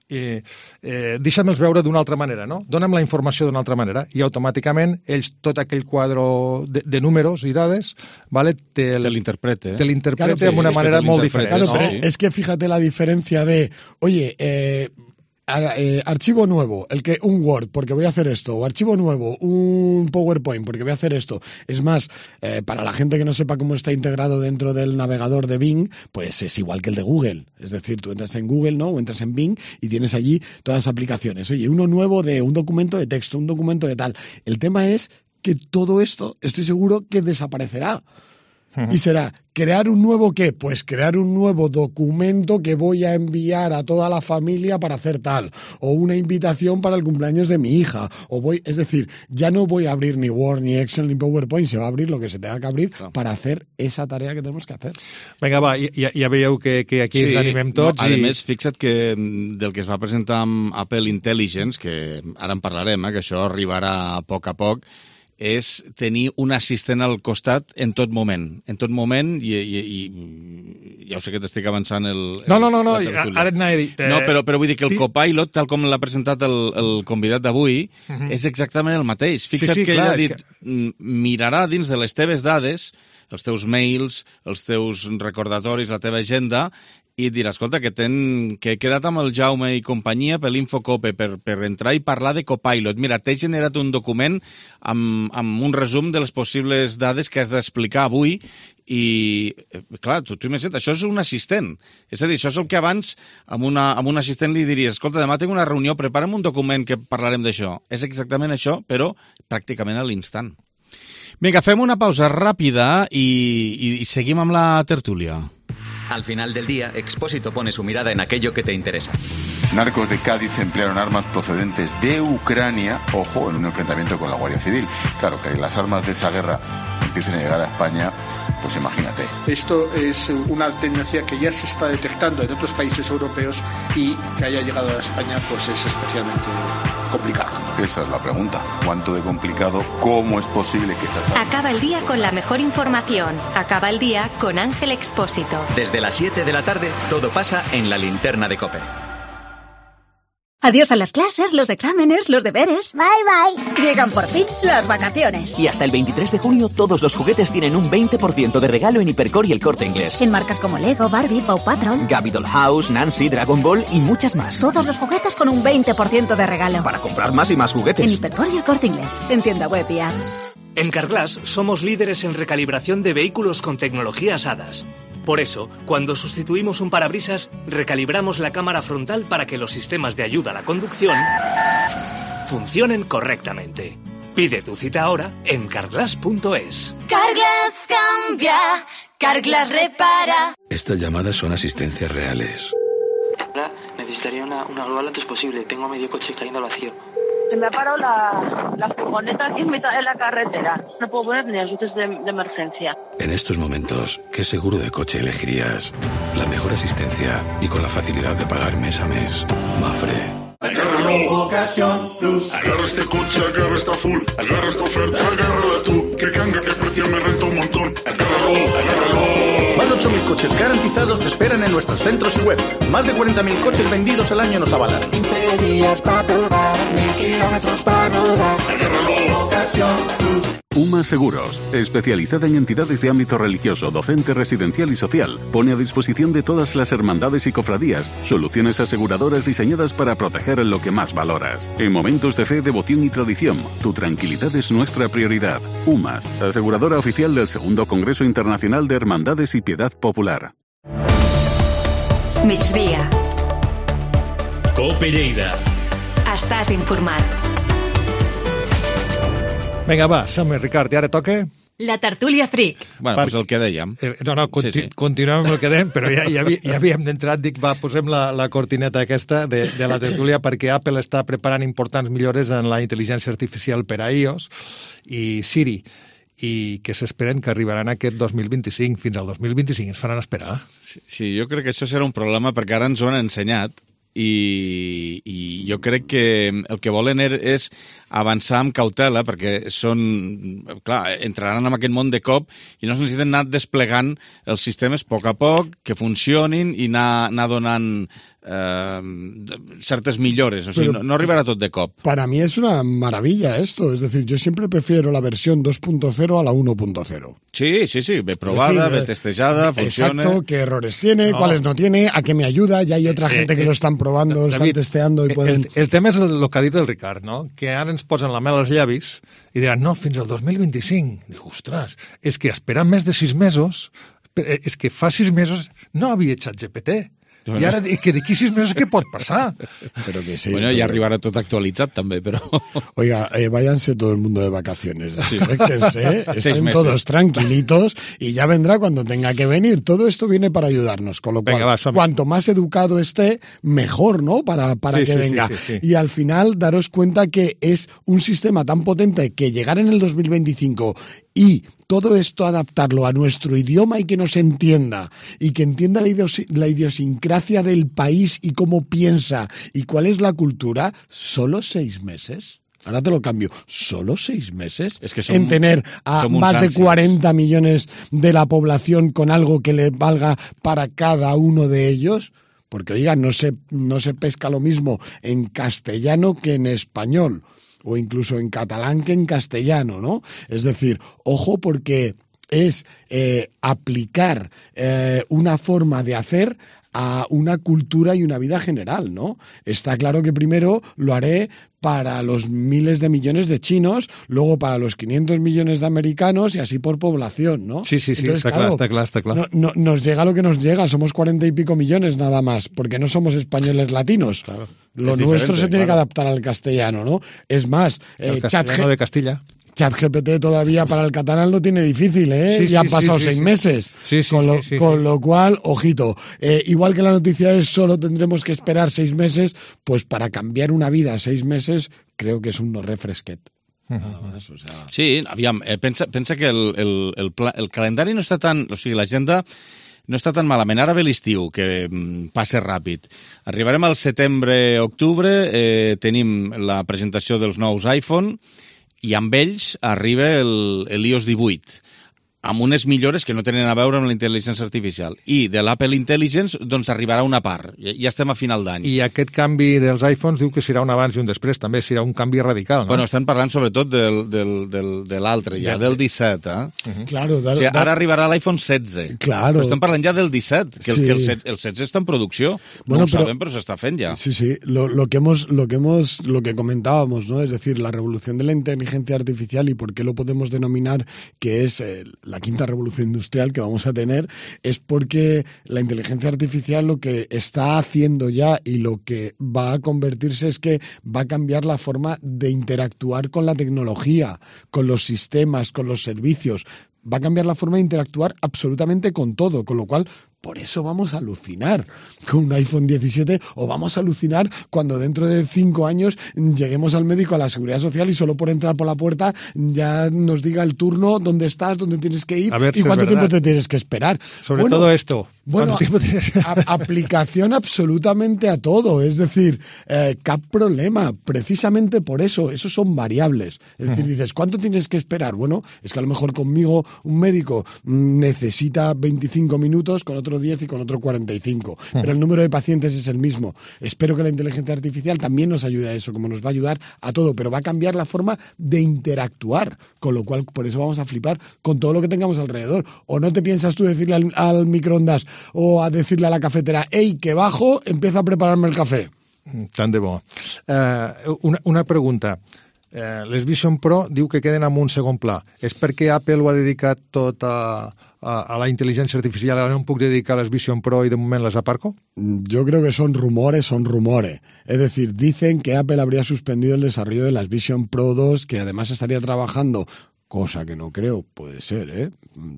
deixa'm-els veure d'una altra manera, no? Dóna'm la informació d'una altra manera, i automàticament ells, tot aquell quadre de números i dades, ¿vale?, te l'interpreta de una manera molt diferent. Claro, pero es que fíjate la diferencia de, oye, archivo nuevo, un Word, porque voy a hacer esto, o archivo nuevo, un PowerPoint, porque voy a hacer esto. Es más, para la gente que no sepa cómo está integrado dentro del navegador de Bing, pues es igual que el de Google. Es decir, tú entras en Google, ¿no?, o entras en Bing y tienes allí todas las aplicaciones. Oye, uno nuevo de un documento de texto, un documento de tal. El tema es que todo esto, estoy seguro que desaparecerá. Y será, ¿crear un nuevo qué? Pues crear un nuevo documento que voy a enviar a toda la familia para hacer tal, o una invitación para el cumpleaños de mi hija, es decir, ya no voy a abrir ni Word, ni Excel, ni PowerPoint, se va a abrir lo que se tenga que abrir para hacer esa tarea que tenemos que hacer. Vinga, va, ja veieu que aquí ens animem tots. A més, fixa't que del que es va presentar amb Apple Intelligence, que ara en parlarem, que això arribarà a poc, és tenir un assistent al costat en tot moment. En tot moment, i ja ho sé que t'estic avançant No, ara anava a dir... No, però vull dir que el Copilot, tal com l'ha presentat el convidat d'avui, és exactament el mateix. Fixa't que ell ha dit, mirarà dins de les teves dades, els teus mails, els teus recordatoris, la teva agenda, i dirà, escolta, que he quedat amb el Jaume i companyia per l'Infocope, per entrar i parlar de Copilot. Mira, t'he generat un document amb un resum de les possibles dades que has d'explicar avui i, clar, tu imagina't, això és un assistent. És a dir, això és el que abans amb un assistent li diries, escolta, demà tinc una reunió, prepara'm un document que parlarem d'això. És exactament això, però pràcticament a l'instant. Vinga, fem una pausa ràpida i seguim amb la tertúlia. Al final del día, Expósito pone su mirada en aquello que te interesa. Narcos de Cádiz emplearon armas procedentes de Ucrania, ojo, en un enfrentamiento con la Guardia Civil. Claro, que las armas de esa guerra empiecen a llegar a España, pues imagínate. Esto es una tendencia que ya se está detectando en otros países europeos y que haya llegado a España pues es especialmente complicado. Esa es la pregunta. ¿Cuánto de complicado? ¿Cómo es posible que esas armas... Acaba el día con la mejor información. Acaba el día con Ángel Expósito. Desde las 7 de la tarde, todo pasa en la linterna de COPE. Adiós a las clases, los exámenes, los deberes. Bye, bye. Llegan por fin las vacaciones. Y hasta el 23 de junio todos los juguetes tienen un 20% de regalo en Hipercor y El Corte Inglés. En marcas como Lego, Barbie, Paw Patrol, Gabby Dollhouse, Nancy, Dragon Ball y muchas más. Todos los juguetes con un 20% de regalo. Para comprar más y más juguetes. En Hipercor y El Corte Inglés. En tienda web y app. En Carglass somos líderes en recalibración de vehículos con tecnologías HADAS. Por eso, cuando sustituimos un parabrisas, recalibramos la cámara frontal para que los sistemas de ayuda a la conducción funcionen correctamente. Pide tu cita ahora en carglass.es. Carglass cambia, Carglass repara. Estas llamadas son asistencias reales. Hola, necesitaría una grúa lo antes posible. Tengo medio coche cayendo al vacío. Se me ha parado la furgoneta aquí en mitad de la carretera. No puedo poner ni las luces de emergencia. En estos momentos, ¿qué seguro de coche elegirías? La mejor asistencia y con la facilidad de pagar mes a mes. Mafre. Agárralo, Ocasión Plus. Agarra este coche, agarra esta full. Agarra esta oferta, agárrala tú. Que canga, que precio me renta un montón. Agárralo. Más de 8.000 coches garantizados te esperan en nuestros centros y web. Más de 40.000 coches vendidos al año nos avalan. 15 días para probar, 1.000 kilómetros para rodar. Agárralo, Ocasión Plus. UMA Seguros, especializada en entidades de ámbito religioso, docente, residencial y social, pone a disposición de todas las hermandades y cofradías soluciones aseguradoras diseñadas para proteger lo que más valoras. En momentos de fe, devoción y tradición, tu tranquilidad es nuestra prioridad. UMAS, aseguradora oficial del Segundo Congreso Internacional de Hermandades y Piedad Popular. Migdia. COPE Lleida. Estàs informat. Vinga, va, som-hi, Ricard, i ara toca... La tertúlia fric. Bueno, doncs el que dèiem. Continuem amb el que dèiem, però ja havíem d'entrar, dic, va, posem la cortineta aquesta de la tertúlia perquè Apple està preparant importants millores en la intel·ligència artificial per a iOS i Siri, i que s'esperen que arribaran aquest 2025, fins al 2025, ens faran esperar. Sí, jo crec que això serà un problema perquè ara ens ho han ensenyat i jo crec que el que volen és avançar amb cautela perquè entraran en aquest món de cop i no es necessiten anar desplegant els sistemes a poc, que funcionin i anar donant ciertas millores, o sea, no arribará todo de cop. Para mí es una maravilla esto, es decir, yo siempre prefiero la versión 2.0 a la 1.0. Sí, ve probada, ve testejada, funciona. Exacto, qué errores tiene, cuáles no tiene, a qué me ayuda, ya hay otra gente que lo están probando, David, están testeando i poden... El tema és el que ha dit el Ricard, no? Que ara ens posen la mel als llavis i diran, no, fins al 2025. Dic, ostres, és que esperant més de 6 mesos, és que fa 6 mesos no havia ChatGPT. I ara, que d'aquí 6 mesos què pot passar? Pero que sí, bueno, ya arribará todo actualizado también, pero... Oiga, váyanse todo el mundo de vacaciones. Desconéctense, estén 6 todos tranquilitos y ya vendrá cuando tenga que venir. Todo esto viene para ayudarnos, con lo cual, cuanto más educado esté, mejor, ¿no? Para que venga. Sí. Y al final, daros cuenta que es un sistema tan potente que llegar en el 2025 y todo esto adaptarlo a nuestro idioma y que nos entienda, y que entienda la idiosincrasia del país y cómo piensa y cuál es la cultura, ¿solo 6 meses? ahora te lo cambio. ¿Solo 6 meses? Es que en tener a más de 40 millones de la población con algo que le valga para cada uno de ellos. Porque, oiga, no se pesca lo mismo en castellano que en español, o incluso en catalán que en castellano, ¿no? Es decir, ojo, porque es aplicar una forma de hacer a una cultura y una vida general, ¿no? Está claro que primero lo haré para los miles de millones de chinos, luego para los 500 millones de americanos y así por población, ¿no? Sí, entonces, está claro. No, nos llega lo que nos llega, somos 40 y pico millones nada más, porque no somos españoles latinos. Claro. Lo nuestro se tiene que adaptar al castellano, ¿no? Es más, el castellano de Castilla. ChatGPT todavía para el catalán lo tiene difícil, ¿eh? Sí, ya han pasado 6 meses. Con lo cual, ojito. Igual que la noticia es solo tendremos que esperar 6 meses, pues para cambiar una vida 6 meses, creo que es un no refresquet. Sí, aviam, pensa que el calendari no està tan... O sigui, l'agenda no està tan malament. Ara ve l'estiu, que passa ràpid. Arribarem al setembre-octubre, tenim la presentació dels nous iPhone, i amb ells arriba l'iOS 18, amb unes millores que no tenen a veure amb la intel·ligència artificial. I de l'Apple Intelligence, doncs, arribarà una part. Ja estem a final d'any. I aquest canvi dels iPhones diu que serà un abans i un després, també serà un canvi radical, no? Bueno, estan parlant sobretot de l'altre, ja, del 17, eh? Claro, o sigui, ara arribarà l'iPhone 16. Claro. Però estem parlant ja del 17, que el 16 està en producció. No ho sabem, però s'està fent ja. Sí. Lo que comentábamos, ¿no? Es decir, la revolución de la inteligencia artificial y por qué lo podemos denominar que es la quinta revolución industrial que vamos a tener, es porque la inteligencia artificial lo que está haciendo ya y lo que va a convertirse es que va a cambiar la forma de interactuar con la tecnología, con los sistemas, con los servicios. Va a cambiar la forma de interactuar absolutamente con todo, con lo cual por eso vamos a alucinar con un iPhone 17 o vamos a alucinar cuando dentro de 5 años lleguemos al médico, a la Seguridad Social y solo por entrar por la puerta ya nos diga el turno, dónde estás, dónde tienes que ir y cuánto tiempo te tienes que esperar. Sobre todo esto. Bueno, aplicación absolutamente a todo, es decir, cap problema, precisamente por eso, esos son variables. Es decir, dices, ¿cuánto tienes que esperar? Bueno, es que a lo mejor conmigo un médico necesita 25 minutos, con otro 10 y con otro 45, pero el número de pacientes es el mismo. Espero que la inteligencia artificial también nos ayude a eso, como nos va a ayudar a todo, pero va a cambiar la forma de interactuar, con lo cual por eso vamos a flipar con todo lo que tengamos alrededor. ¿O no te piensas tú decirle al microondas o a decirle a la cafetera, hey, que bajo, empieza a prepararme el café? Tant de bo. Una pregunta. Les Vision Pro diu que queden en un segon pla. És perquè Apple ho ha dedicat tot a la inteligencia artificial, ahora no puc dedicar las Vision Pro y de momento las aparco? Yo creo que son rumores. Es decir, dicen que Apple habría suspendido el desarrollo de las Vision Pro 2, que además estaría trabajando, cosa que no creo, puede ser, ¿eh?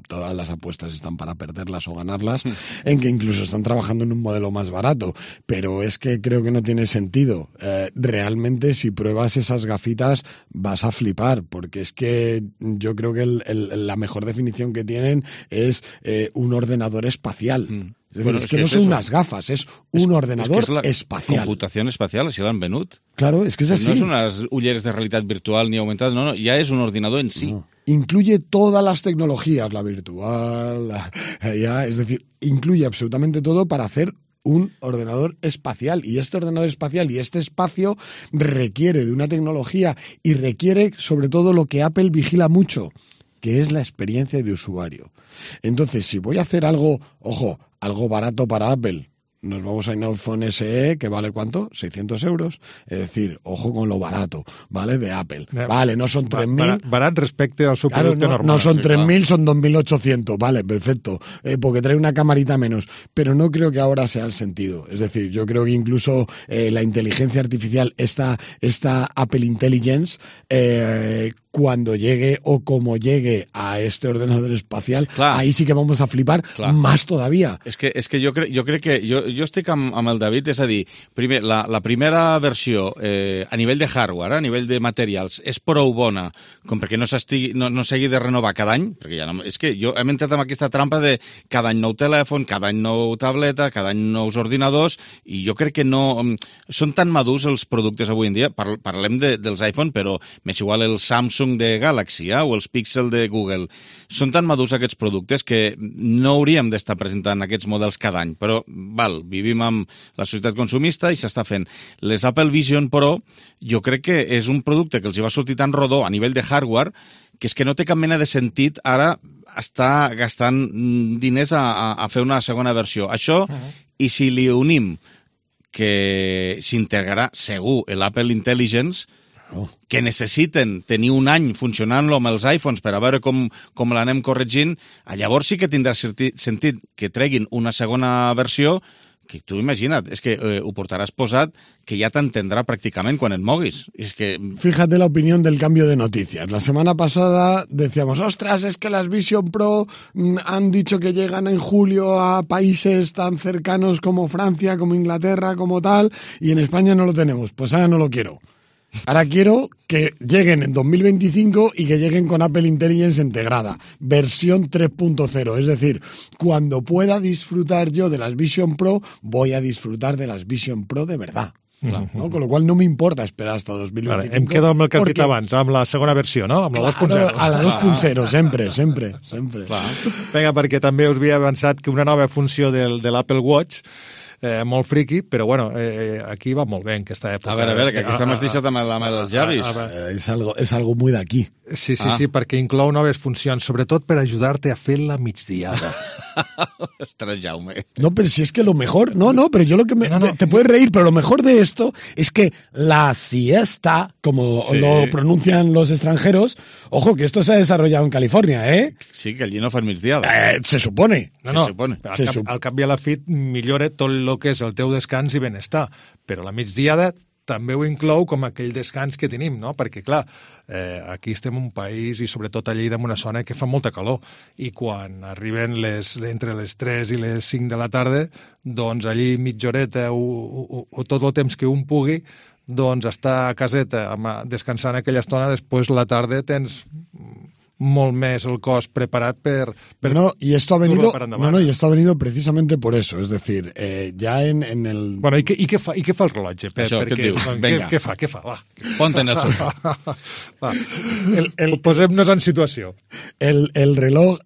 Todas las apuestas están para perderlas o ganarlas, en que incluso están trabajando en un modelo más barato, pero es que creo que no tiene sentido. Realmente, si pruebas esas gafitas, vas a flipar, porque es que yo creo que la mejor definición que tienen es un ordenador espacial. Es decir, bueno, es que no son unas gafas, es un ordenador espacial. Computació espacial, així l'han venut. Claro, es que es así. No son unas ulleres de realidad virtual ni aumentada, no, ya es un ordenador en sí. No. Incluye todas las tecnologías, la virtual, es decir, incluye absolutamente todo para hacer un ordenador espacial. Y este ordenador espacial y este espacio requiere de una tecnología y requiere sobre todo lo que Apple vigila mucho, que es la experiencia de usuario. Entonces, si voy a hacer algo, ojo, algo barato para Apple, nos vamos a un iPhone SE que vale ¿cuánto? 600 euros. Es decir, ojo con lo barato, ¿vale? De Apple. Vale, no son 3.000. Barat respecte al su producto normal. No son 3.000, son 2.800. Vale, perfecto. Porque trae una camarita menos. Pero no creo que ahora sea el sentido. Es decir, yo creo que incluso la inteligencia artificial, esta Apple Intelligence, cuando llegue o como llegue a este ordenador espacial, ahí sí que vamos a flipar más todavía. Es que yo creo que jo estic amb el David, és a dir, primer, la primera versió a nivell de hardware, a nivell de materials, és prou bona com perquè no s'hagi de renovar cada any, perquè ja no, és que jo hem entrat en aquesta trampa de cada any nou telèfon, cada any nou tableta, cada any nous ordinadors, i jo crec que no... Són tan madurs els productes avui en dia, parlem dels iPhone, però m'és igual el Samsung de Galaxy o els Pixel de Google. Són tan madurs aquests productes que no hauríem d'estar presentant aquests models cada any, però vivim amb la societat consumista i s'està fent. Les Apple Vision Pro jo crec que és un producte que els hi va sortir tan rodó a nivell de hardware que és que no té cap mena de sentit ara estar gastant diners a fer una segona versió. Això, i si li unim que s'integrarà segur l'Apple Intelligence, que necessiten tenir un any funcionant-lo amb els iPhones per a veure com l'anem corregint, llavors sí que tindrà sentit que treguin una segona versió que tu imagina't, és que ho portaràs posat que ja t'entendrà pràcticament quan et moguis. Es que... Fíjate la opinión del cambio de noticias. La semana pasada decíamos, ostras, es que las Vision Pro han dicho que llegan en julio a países tan cercanos como Francia, como Inglaterra, como tal, y en España no lo tenemos. Pues ahora no lo quiero. Ahora quiero que lleguen en 2025 y que lleguen con Apple Intelligence integrada, versión 3.0. Es decir, cuando pueda disfrutar yo de las Vision Pro, voy a disfrutar de las Vision Pro de verdad. Clar, no? Con lo qual no m'importa esperar hasta 2025. Vale, em quedo amb el que has dit abans, amb la segona versió, no? Amb la 2.0. A la 2.0, sempre. Clar. Vinga, perquè també us havia avançat que una nova funció de l'Apple Watch, molt friqui, però bueno, aquí va molt bé en aquesta època. A veure, que aquí estem deixat amb els llavis. És algo muy d'aquí. Sí, perquè inclou noves funcions, sobretot per ajudar-te a fer la migdiada. Ostres, Jaume. No, pero si es que lo mejor... No, pero yo lo que te puedes reír, pero lo mejor de esto es que la siesta, como lo pronuncian los extranjeros, ojo, que esto se ha desarrollado en California, ¿eh? Sí, que allí no fan migdiada. Se supone. Se supone. Al cap i a la fi millora tot el que és el teu descans i benestar, però la migdiada també ho inclou com aquell descans que tenim, no? Perquè, clar, aquí estem en un país i sobretot a Lleida en una zona que fa molta calor i quan arriben entre les 3 i les 5 de la tarda, doncs allí mitja horeta o tot el temps que un pugui, doncs estar a caseta descansant aquella estona, després la tarda tens molt més el cos preparat per y esto ha venido precisamente por eso, es decir, ya en el... Bueno, ¿y qué fa el rellotge? Això, què et diu? Vinga. Què fa? Va. Ponte en el sofà. Posem-nos en situació. El reloj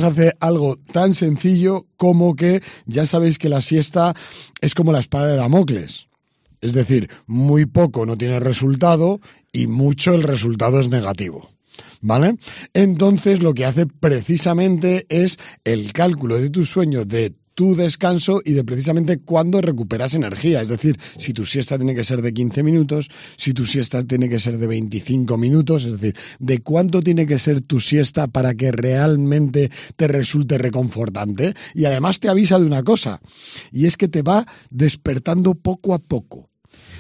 hace algo tan sencillo como que ya sabéis que la siesta es como la espada de Damocles. Es decir, muy poco no tiene resultado y mucho el resultado es negativo. ¿Vale? Entonces lo que hace precisamente es el cálculo de tu sueño, de tu descanso y de precisamente cuándo recuperas energía. Es decir, si tu siesta tiene que ser de 15 minutos, si tu siesta tiene que ser de 25 minutos, es decir, de cuánto tiene que ser tu siesta para que realmente te resulte reconfortante. Y además te avisa de una cosa, y es que te va despertando poco a poco.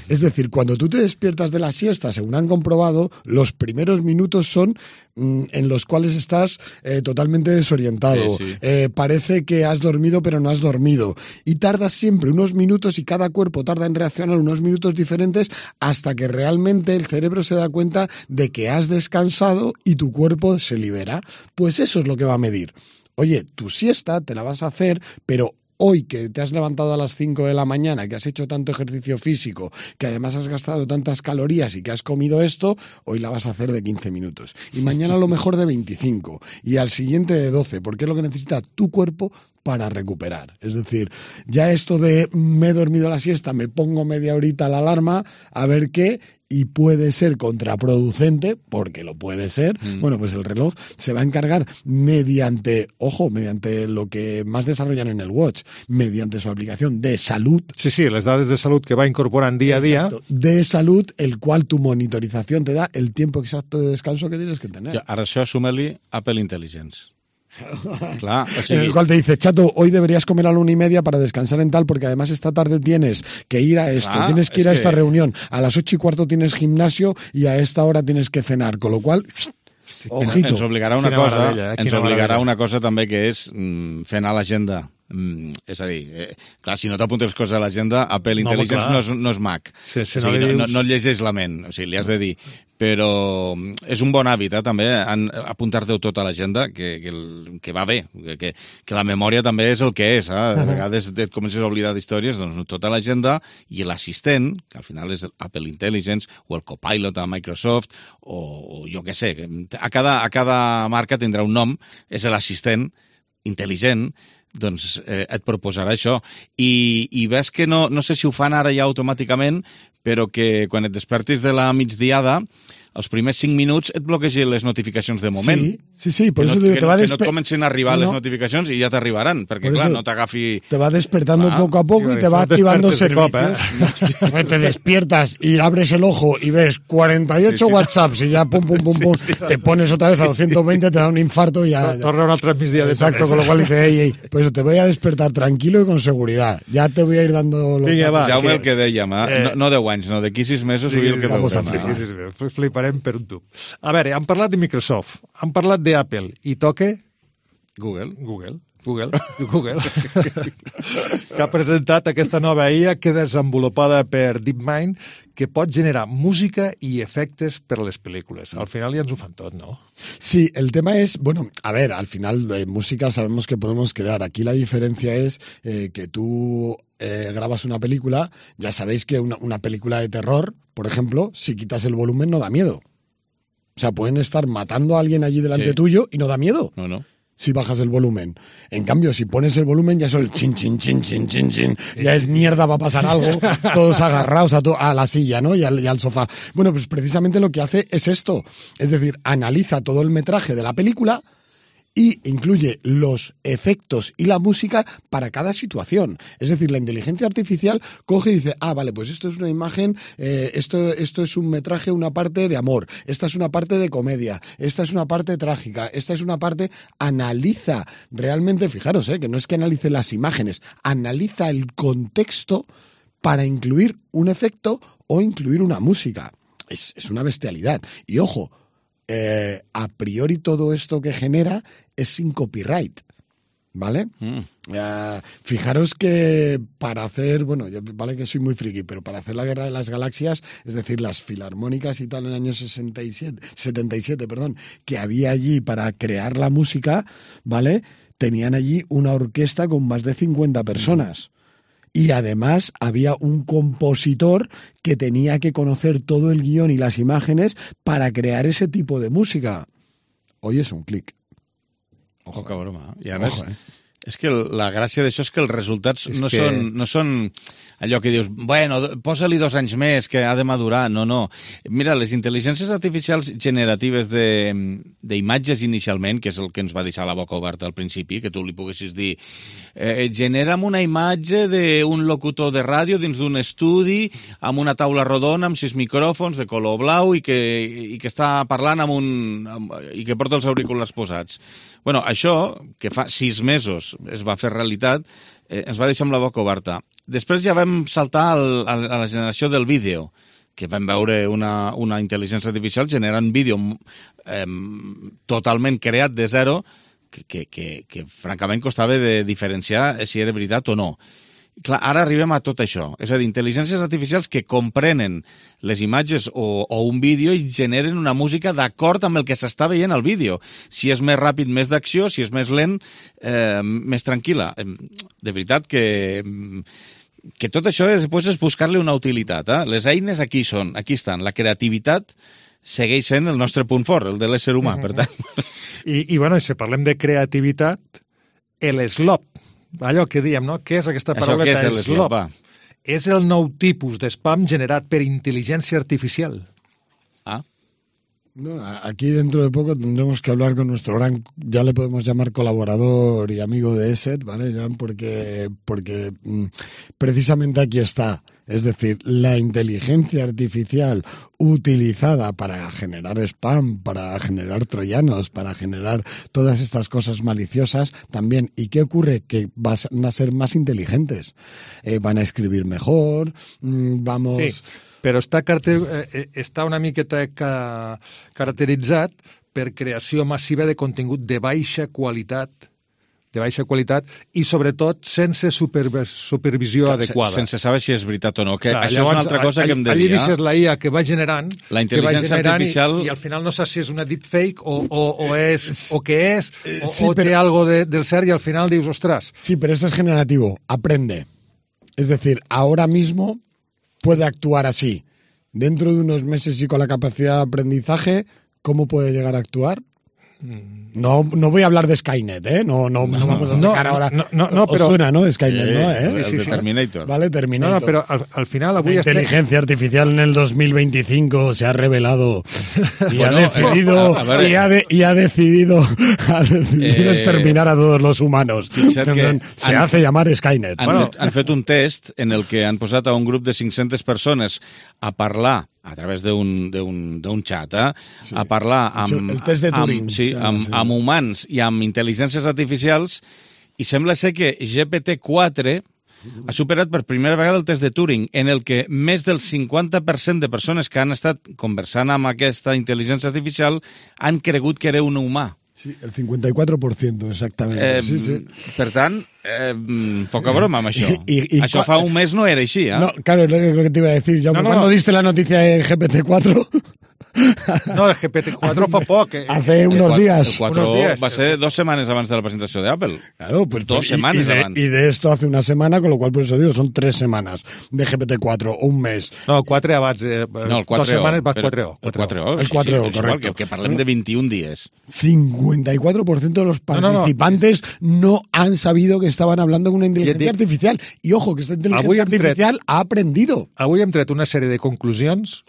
Es decir, cuando tú te despiertas de la siesta, según han comprobado, los primeros minutos son en los cuales estás totalmente desorientado. Sí. Parece que has dormido, pero no has dormido. Y tardas siempre unos minutos y cada cuerpo tarda en reaccionar unos minutos diferentes hasta que realmente el cerebro se da cuenta de que has descansado y tu cuerpo se libera. Pues eso es lo que va a medir. Oye, tu siesta te la vas a hacer, pero hoy que te has levantado a las 5 de la mañana, que has hecho tanto ejercicio físico, que además has gastado tantas calorías y que has comido esto, hoy la vas a hacer de 15 minutos. Y mañana a lo mejor de 25. Y al siguiente de 12, porque es lo que necesita tu cuerpo para recuperar. Es decir, ya esto de me he dormido la siesta, me pongo media horita la alarma, a ver qué, y puede ser contraproducente, porque lo puede ser, bueno, pues el reloj se va a encargar mediante lo que más desarrollan en el Watch, mediante su aplicación de salud. Sí, les dades de salud que va incorporant dia a dia. De salud, el cual tu monitorización te da el tiempo exacto de descanso que tienes que tener. Ja, ara això suma-li Apple Intelligence. Claro, en el cual te dice, chato, hoy deberías comer a la 1:30 para descansar en tal, porque además esta tarde tienes que ir a esto, tienes que ir a esta reunión, a las 8:15 tienes gimnasio y a esta hora tienes que cenar, con lo cual... Ojito. Ens obligarà una cosa també, que és fer anar l'agenda És a dir, clar, si no t'apuntes coses a l'agenda, Apple Intelligence no és Mac. No et llegeix la ment, o sigui, li has de dir. Però és un bon hàbit, també, apuntar-te tot a l'agenda, que va bé, que la memòria també és el que és. De vegades et comences a oblidar d'històries, doncs tot a l'agenda, i l'assistent, que al final és Apple Intelligence, o el Copilot a Microsoft, o jo què sé, a cada marca tindrà un nom, és l'assistent intel·ligent, doncs et proposarà això. I ves que no sé si ho fan ara ja automàticament, però que quan et despertis de la migdiada, els primers 5 minuts et bloquegen les notificacions de moment. Sí, por eso que no et comencen a arribar les notificacions i ja t'arribaran, perquè clar, no t'agafi... Te va despertando poco a poco y te va activando servicios. Te despiertas y abres el ojo y ves 48 WhatsApps y ya pum, te pones otra vez a 220, te da un infarto y ya... Torna un altre migdia de Exacto, con lo cual dice, por eso te voy a despertar tranquilo y con seguridad. Ya te voy a ir dando... Jaume, el que dèiem, no 10 anys, no, d'aquí 6 mesos ho el que veurem. Fliparem per un tub. A veure, han parlat de Microsoft, han parlat d'Apple, i toque... Google, que ha presentat aquesta nova IA que desenvolupada per DeepMind, que pot generar música i efectes per les pel·lícules. Al final ja ens ho fan tot, ¿no? Sí, el tema es, bueno, a ver, al final música sabemos que podemos crear. Aquí la diferencia es que tú grabas una película, ya sabéis que una película de terror, por ejemplo, si quitas el volumen no da miedo. O sea, pueden estar matando a alguien allí delante tuyo y no da miedo. No. Si bajas el volumen. En cambio, si pones el volumen, ya es el chin, chin, chin, chin, chin, chin. Ya es mierda, va a pasar algo. Todos agarrados a la silla, ¿no? Y al sofá. Bueno, pues precisamente lo que hace es esto. Es decir, analiza todo el metraje de la película y incluye los efectos y la música para cada situación. Es decir, la inteligencia artificial coge y dice, vale, pues esto es una imagen, esto es un metraje, una parte de amor, esta es una parte de comedia, esta es una parte trágica, esta es una parte... Analiza realmente, fijaros, que no es que analice las imágenes, analiza el contexto para incluir un efecto o incluir una música. Es una bestialidad. Y ojo, a priori todo esto que genera es sin copyright, ¿vale? Fijaros que para hacer, bueno, vale que soy muy friki, pero para hacer la Guerra de las Galaxias, es decir, las filarmónicas y tal en el año 77, que había allí para crear la música, ¿vale? Tenían allí una orquesta con más de 50 personas. Y además había un compositor que tenía que conocer todo el guión y las imágenes para crear ese tipo de música. Hoy es un clic. Ojo, que broma. I a més, és que la gràcia d'això és que els resultats no són allò que dius, bueno, posa-li 2 anys més, que ha de madurar. No. Mira, les intel·ligències artificials generatives d'imatges inicialment, que és el que ens va deixar la boca oberta al principi, que tu li poguessis dir, genera'm una imatge d'un locutor de ràdio dins d'un estudi amb una taula rodona, amb 6 micròfons de color blau i que està parlant i que porta els auriculars posats. Bueno, això, que fa 6 mesos es va fer realitat, ens va deixar amb la boca oberta. Després ja vam saltar a la generació del vídeo, que vam veure una intel·ligència artificial generant vídeo totalment creat de zero, que francament costava de diferenciar si era veritat o no. Clar, ara arribem a tot això. És a dir, intel·ligències artificials que comprenen les imatges o un vídeo i generen una música d'acord amb el que s'està veient al vídeo. Si és més ràpid, més d'acció, si és més lent, més tranquil·la. De veritat que tot això després és buscar-li una utilitat. Les eines aquí són, aquí estan. La creativitat segueix sent el nostre punt fort, el de l'ésser humà, per tant. I bueno, si parlem de creativitat, l'slop, allò que diem, no? Què és aquesta parauleta slop? És el nou tipus d'espam generat per intel·ligència artificial. No, aquí dentro de poco tendremos que hablar con nuestro gran, ya le podemos llamar colaborador y amigo de ESET, ¿vale? Porque precisamente aquí está. Es decir, la inteligencia artificial utilizada para generar spam, para generar troyanos, para generar todas estas cosas maliciosas también. ¿Y qué ocurre? Que van a ser más inteligentes. Van a escribir mejor, vamos... Sí, però està una miqueta caracteritzat per creació massiva de contingut de baixa qualitat de baixa qualitat i, sobretot, sense supervisió adequada. Sense saber si és veritat o no. Que això és una altra cosa que hem de dir. Allí deixes la IA que va generant, la intel·ligència artificial... I al final no saps si és una deepfake o què és, o té algo del cert, i al final dius, ostras. Sí, pero esto es generativo. Aprende. Es decir, ahora mismo puede actuar así. Dentro de unos meses y con la capacidad de aprendizaje, ¿cómo puede llegar a actuar? No voy a hablar de Skynet, ¿eh? No vamos a sacar ahora... No, pero... suena, ¿no? Skynet, ¿no? El de Terminator. Vale, Terminator. No, pero al final... La inteligencia artificial en el 2025 se ha revelado y ha decidido exterminar a todos los humanos. Se hace llamar Skynet. Han fet un test en el que han posat a un grup de 500 persones a parlar a través d'un xat, a parlar amb... El test de Turing. Amb humans i amb intel·ligències artificials, i sembla ser que GPT-4 ha superat per primera vegada el test de Turing, en el que més del 50% de persones que han estat conversant amb aquesta intel·ligència artificial han cregut que era un humà. Sí, el 54%, exactamente. Per tant, poca broma amb això. Això fa un mes no era així, ¿eh? No, claro, es lo que te iba a decir. ¿Cuándo diste la noticia de GPT-4? No, el GPT-4 fa poc. Hace unos días. El 4 va ser 2 setmanes abans de la presentació d'Apple. Claro, pues 2 setmanes abans. Y de esto hace una semana, con lo cual por eso digo, son 3 semanas de GPT-4, un mes. No, 4 abans. No, el 4 2 setmanes va 4. El 4, el 4, correcto. Que parlem de 21 dies. 54% de los participantes no han sabido que estaban hablando con una inteligencia artificial. Y ojo, que esta inteligencia artificial ha aprendido. Avui hem tret una sèrie de conclusions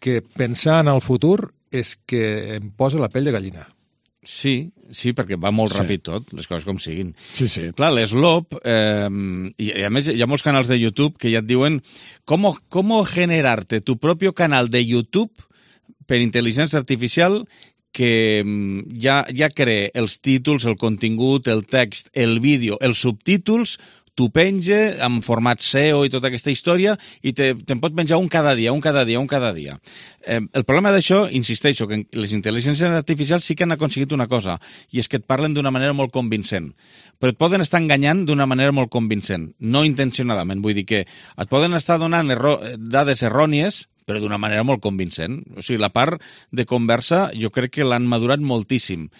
que pensar en el futur és que em posa la pell de gallina. Sí, perquè va molt ràpid tot, les coses com siguin. Sí. Clar, l'Slop, i a més hi ha molts canals de YouTube que ja et diuen cómo generarte tu propio canal de YouTube per intel·ligència artificial que ja crea els títols, el contingut, el text, el vídeo, els subtítols, t'ho penja en format SEO i tota aquesta història i te'n pot penjar un cada dia. El problema d'això, insisteixo, que les intel·ligències artificials sí que han aconseguit una cosa, i és que et parlen d'una manera molt convincent. Però et poden estar enganyant d'una manera molt convincent, no intencionadament. Vull dir que et poden estar donant dades errònies, però d'una manera molt convincent. O sigui, la part de conversa jo crec que l'han madurat moltíssim.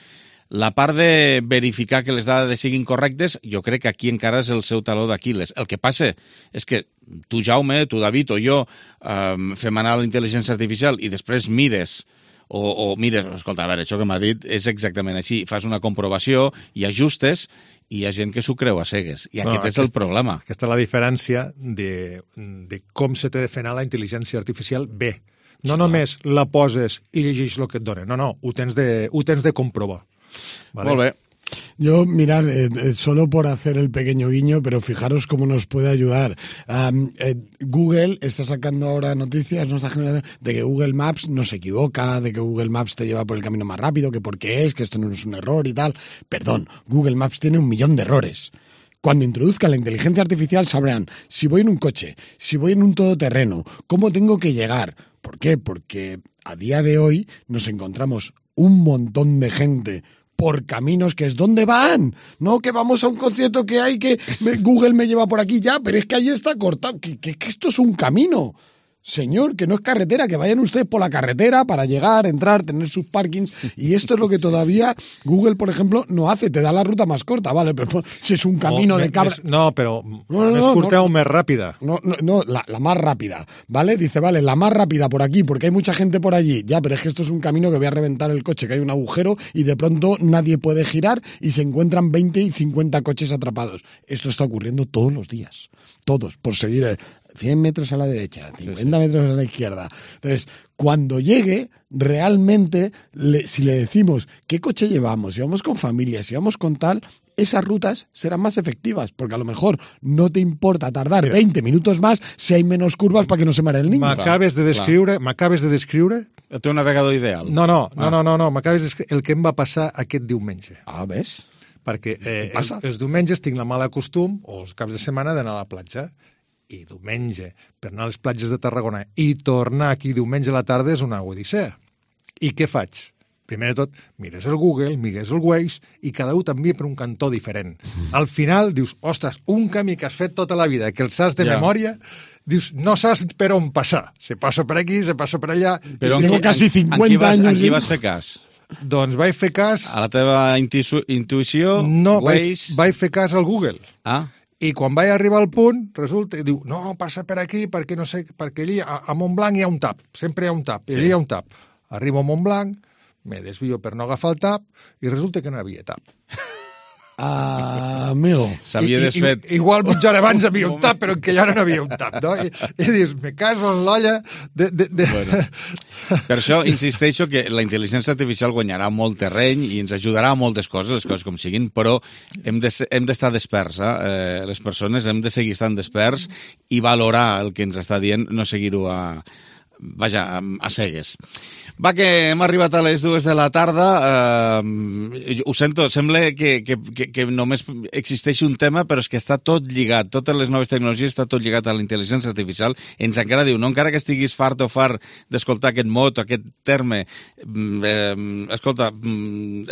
La part de verificar que les dades siguin correctes, jo crec que aquí encara és el seu taló d'Aquil·les. El que passa és que tu, Jaume, tu, David, o jo fem anar la intel·ligència artificial i després mires, o mires, escolta, a veure, això que m'ha dit és exactament així, fas una comprovació i ajustes, i hi ha gent que s'ho creu a cegues. I aquest és el problema. Aquesta és la diferència de com se té de fer anar la intel·ligència artificial bé. No només la poses i llegeix el que et dona. No, ho tens de comprovar. ¿Vale? Molt bé. Yo, mirad, solo por hacer el pequeño guiño, pero fijaros cómo nos puede ayudar. Google está sacando ahora noticias, no está generando, de que Google Maps no se equivoca, de que Google Maps te lleva por el camino más rápido, que por qué es, que esto no es un error y tal. Perdón, Google Maps tiene 1 millón de errores. Cuando introduzcan la inteligencia artificial sabrán si voy en un coche, si voy en un todoterreno, cómo tengo que llegar. ¿Por qué? Porque a día de hoy nos encontramos un montón de gente por caminos que es ¿dónde van? No, que vamos a un concierto que hay que Google me lleva por aquí ya, pero es que ahí está cortado, que esto es un camino. Señor, que no es carretera, que vayan ustedes por la carretera para llegar, entrar, tener sus parkings. Y esto es lo que todavía Google, por ejemplo, no hace. Te da la ruta más corta, ¿vale? Pero si es un camino de cabra... No, pero més curta o més ràpida. No, la más rápida, ¿vale? Dice, vale, la más rápida por aquí, porque hay mucha gente por allí. Ya, pero es que esto es un camino que voy a reventar el coche, que hay un agujero y de pronto nadie puede girar y se encuentran 20 y 50 coches atrapados. Esto está ocurriendo todos los días. Todos, por seguir 100 metros a la derecha, 50 metros a la izquierda. Entonces, cuando llegue, realmente, si le decimos qué coche llevamos, si vamos con familia, si vamos con tal, esas rutas serán más efectivas, porque a lo mejor no te importa tardar 20 minutos más si hay menos curvas para que no se mare el niño. M'acabes de descriure... El teu navegador ideal. No, m'acabes de descriure el que em va passar aquest diumenge. Ah, ves? Perquè els diumenges tinc la mala costum, o els caps de setmana, d'anar a la platja. I diumenge, per anar a les platges de Tarragona i tornar aquí diumenge a la tarda és una odissea. I què faig? primer de tot, mires el Google, mires el Waze, i cada un t'envia per un cantó diferent. Al final dius, ostres, un camí que has fet tota la vida, que el saps de memòria, dius, no saps per on passar. Se passa per aquí, se passa per allà... Però tengo casi 50 anys. En qui vas fer cas? Doncs vaig fer cas... A la teva intuïció? No, Waze? vaig fer cas al Google. Ah. I quan vaig arribar al punt, resulta que diu, no, passa per aquí, perquè no sé, perquè allí a Montblanc hi ha un tap, sempre hi ha un tap, i allí hi ha un tap. Arribo a Montblanc, me desvio per no agafar el tap, i resulta que no hi havia tap. Amigo. S'havia desfet. Igual mitja hora abans havia un tap, però que allà no havia un tap, no? I dius, me caso en l'olla Bueno, per això insisteixo que la intel·ligència artificial guanyarà molt terreny i ens ajudarà a moltes coses, les coses com siguin, però hem d'estar desperts, les persones hem de seguir estant desperts i valorar el que ens està dient, no seguir-ho a cegues. Va, que hem arribat a les 2 de la tarda. Ho sento, sembla que només existeix un tema, però és que està tot lligat. Totes les noves tecnologies està tot lligat a la intel·ligència artificial. Ens encara diu, no encara que estiguis fart o fart d'escoltar aquest mot, aquest terme, escolta,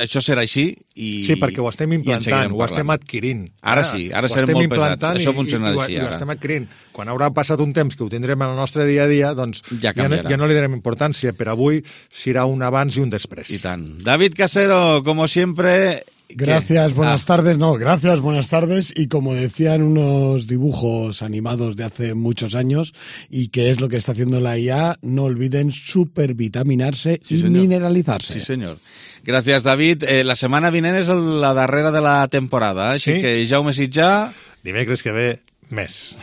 això serà així i... Sí, perquè ho estem implantant, ho estem adquirint. Ara sí, ara serem molt pesats. Això funcionarà així, ara. Ho estem adquirint. Quan haurà passat un temps que ho tindrem en el nostre dia a dia, doncs ja no li darem importància. Per avui serà un abans y un després. Y tan. David Casero, como siempre... Gracias, buenas tardes. No, gracias, buenas tardes. Y como decían unos dibujos animados de hace muchos años, y que es lo que está haciendo la IA, no olviden supervitaminarse y mineralizarse. Sí, señor. Gràcies, David. La setmana vinent és la darrera de la temporada, així que Jaume Sitjà... Dimecres que ve, més.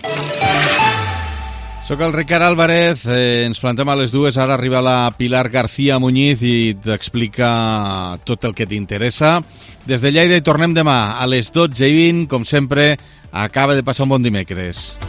Soc el Ricard Álvarez, ens plantem a les 2, ara arriba la Pilar García Muñiz i t'explica tot el que t'interessa. Des de Lleida hi tornem demà a les 12:20, com sempre, acaba de passar un bon dimecres.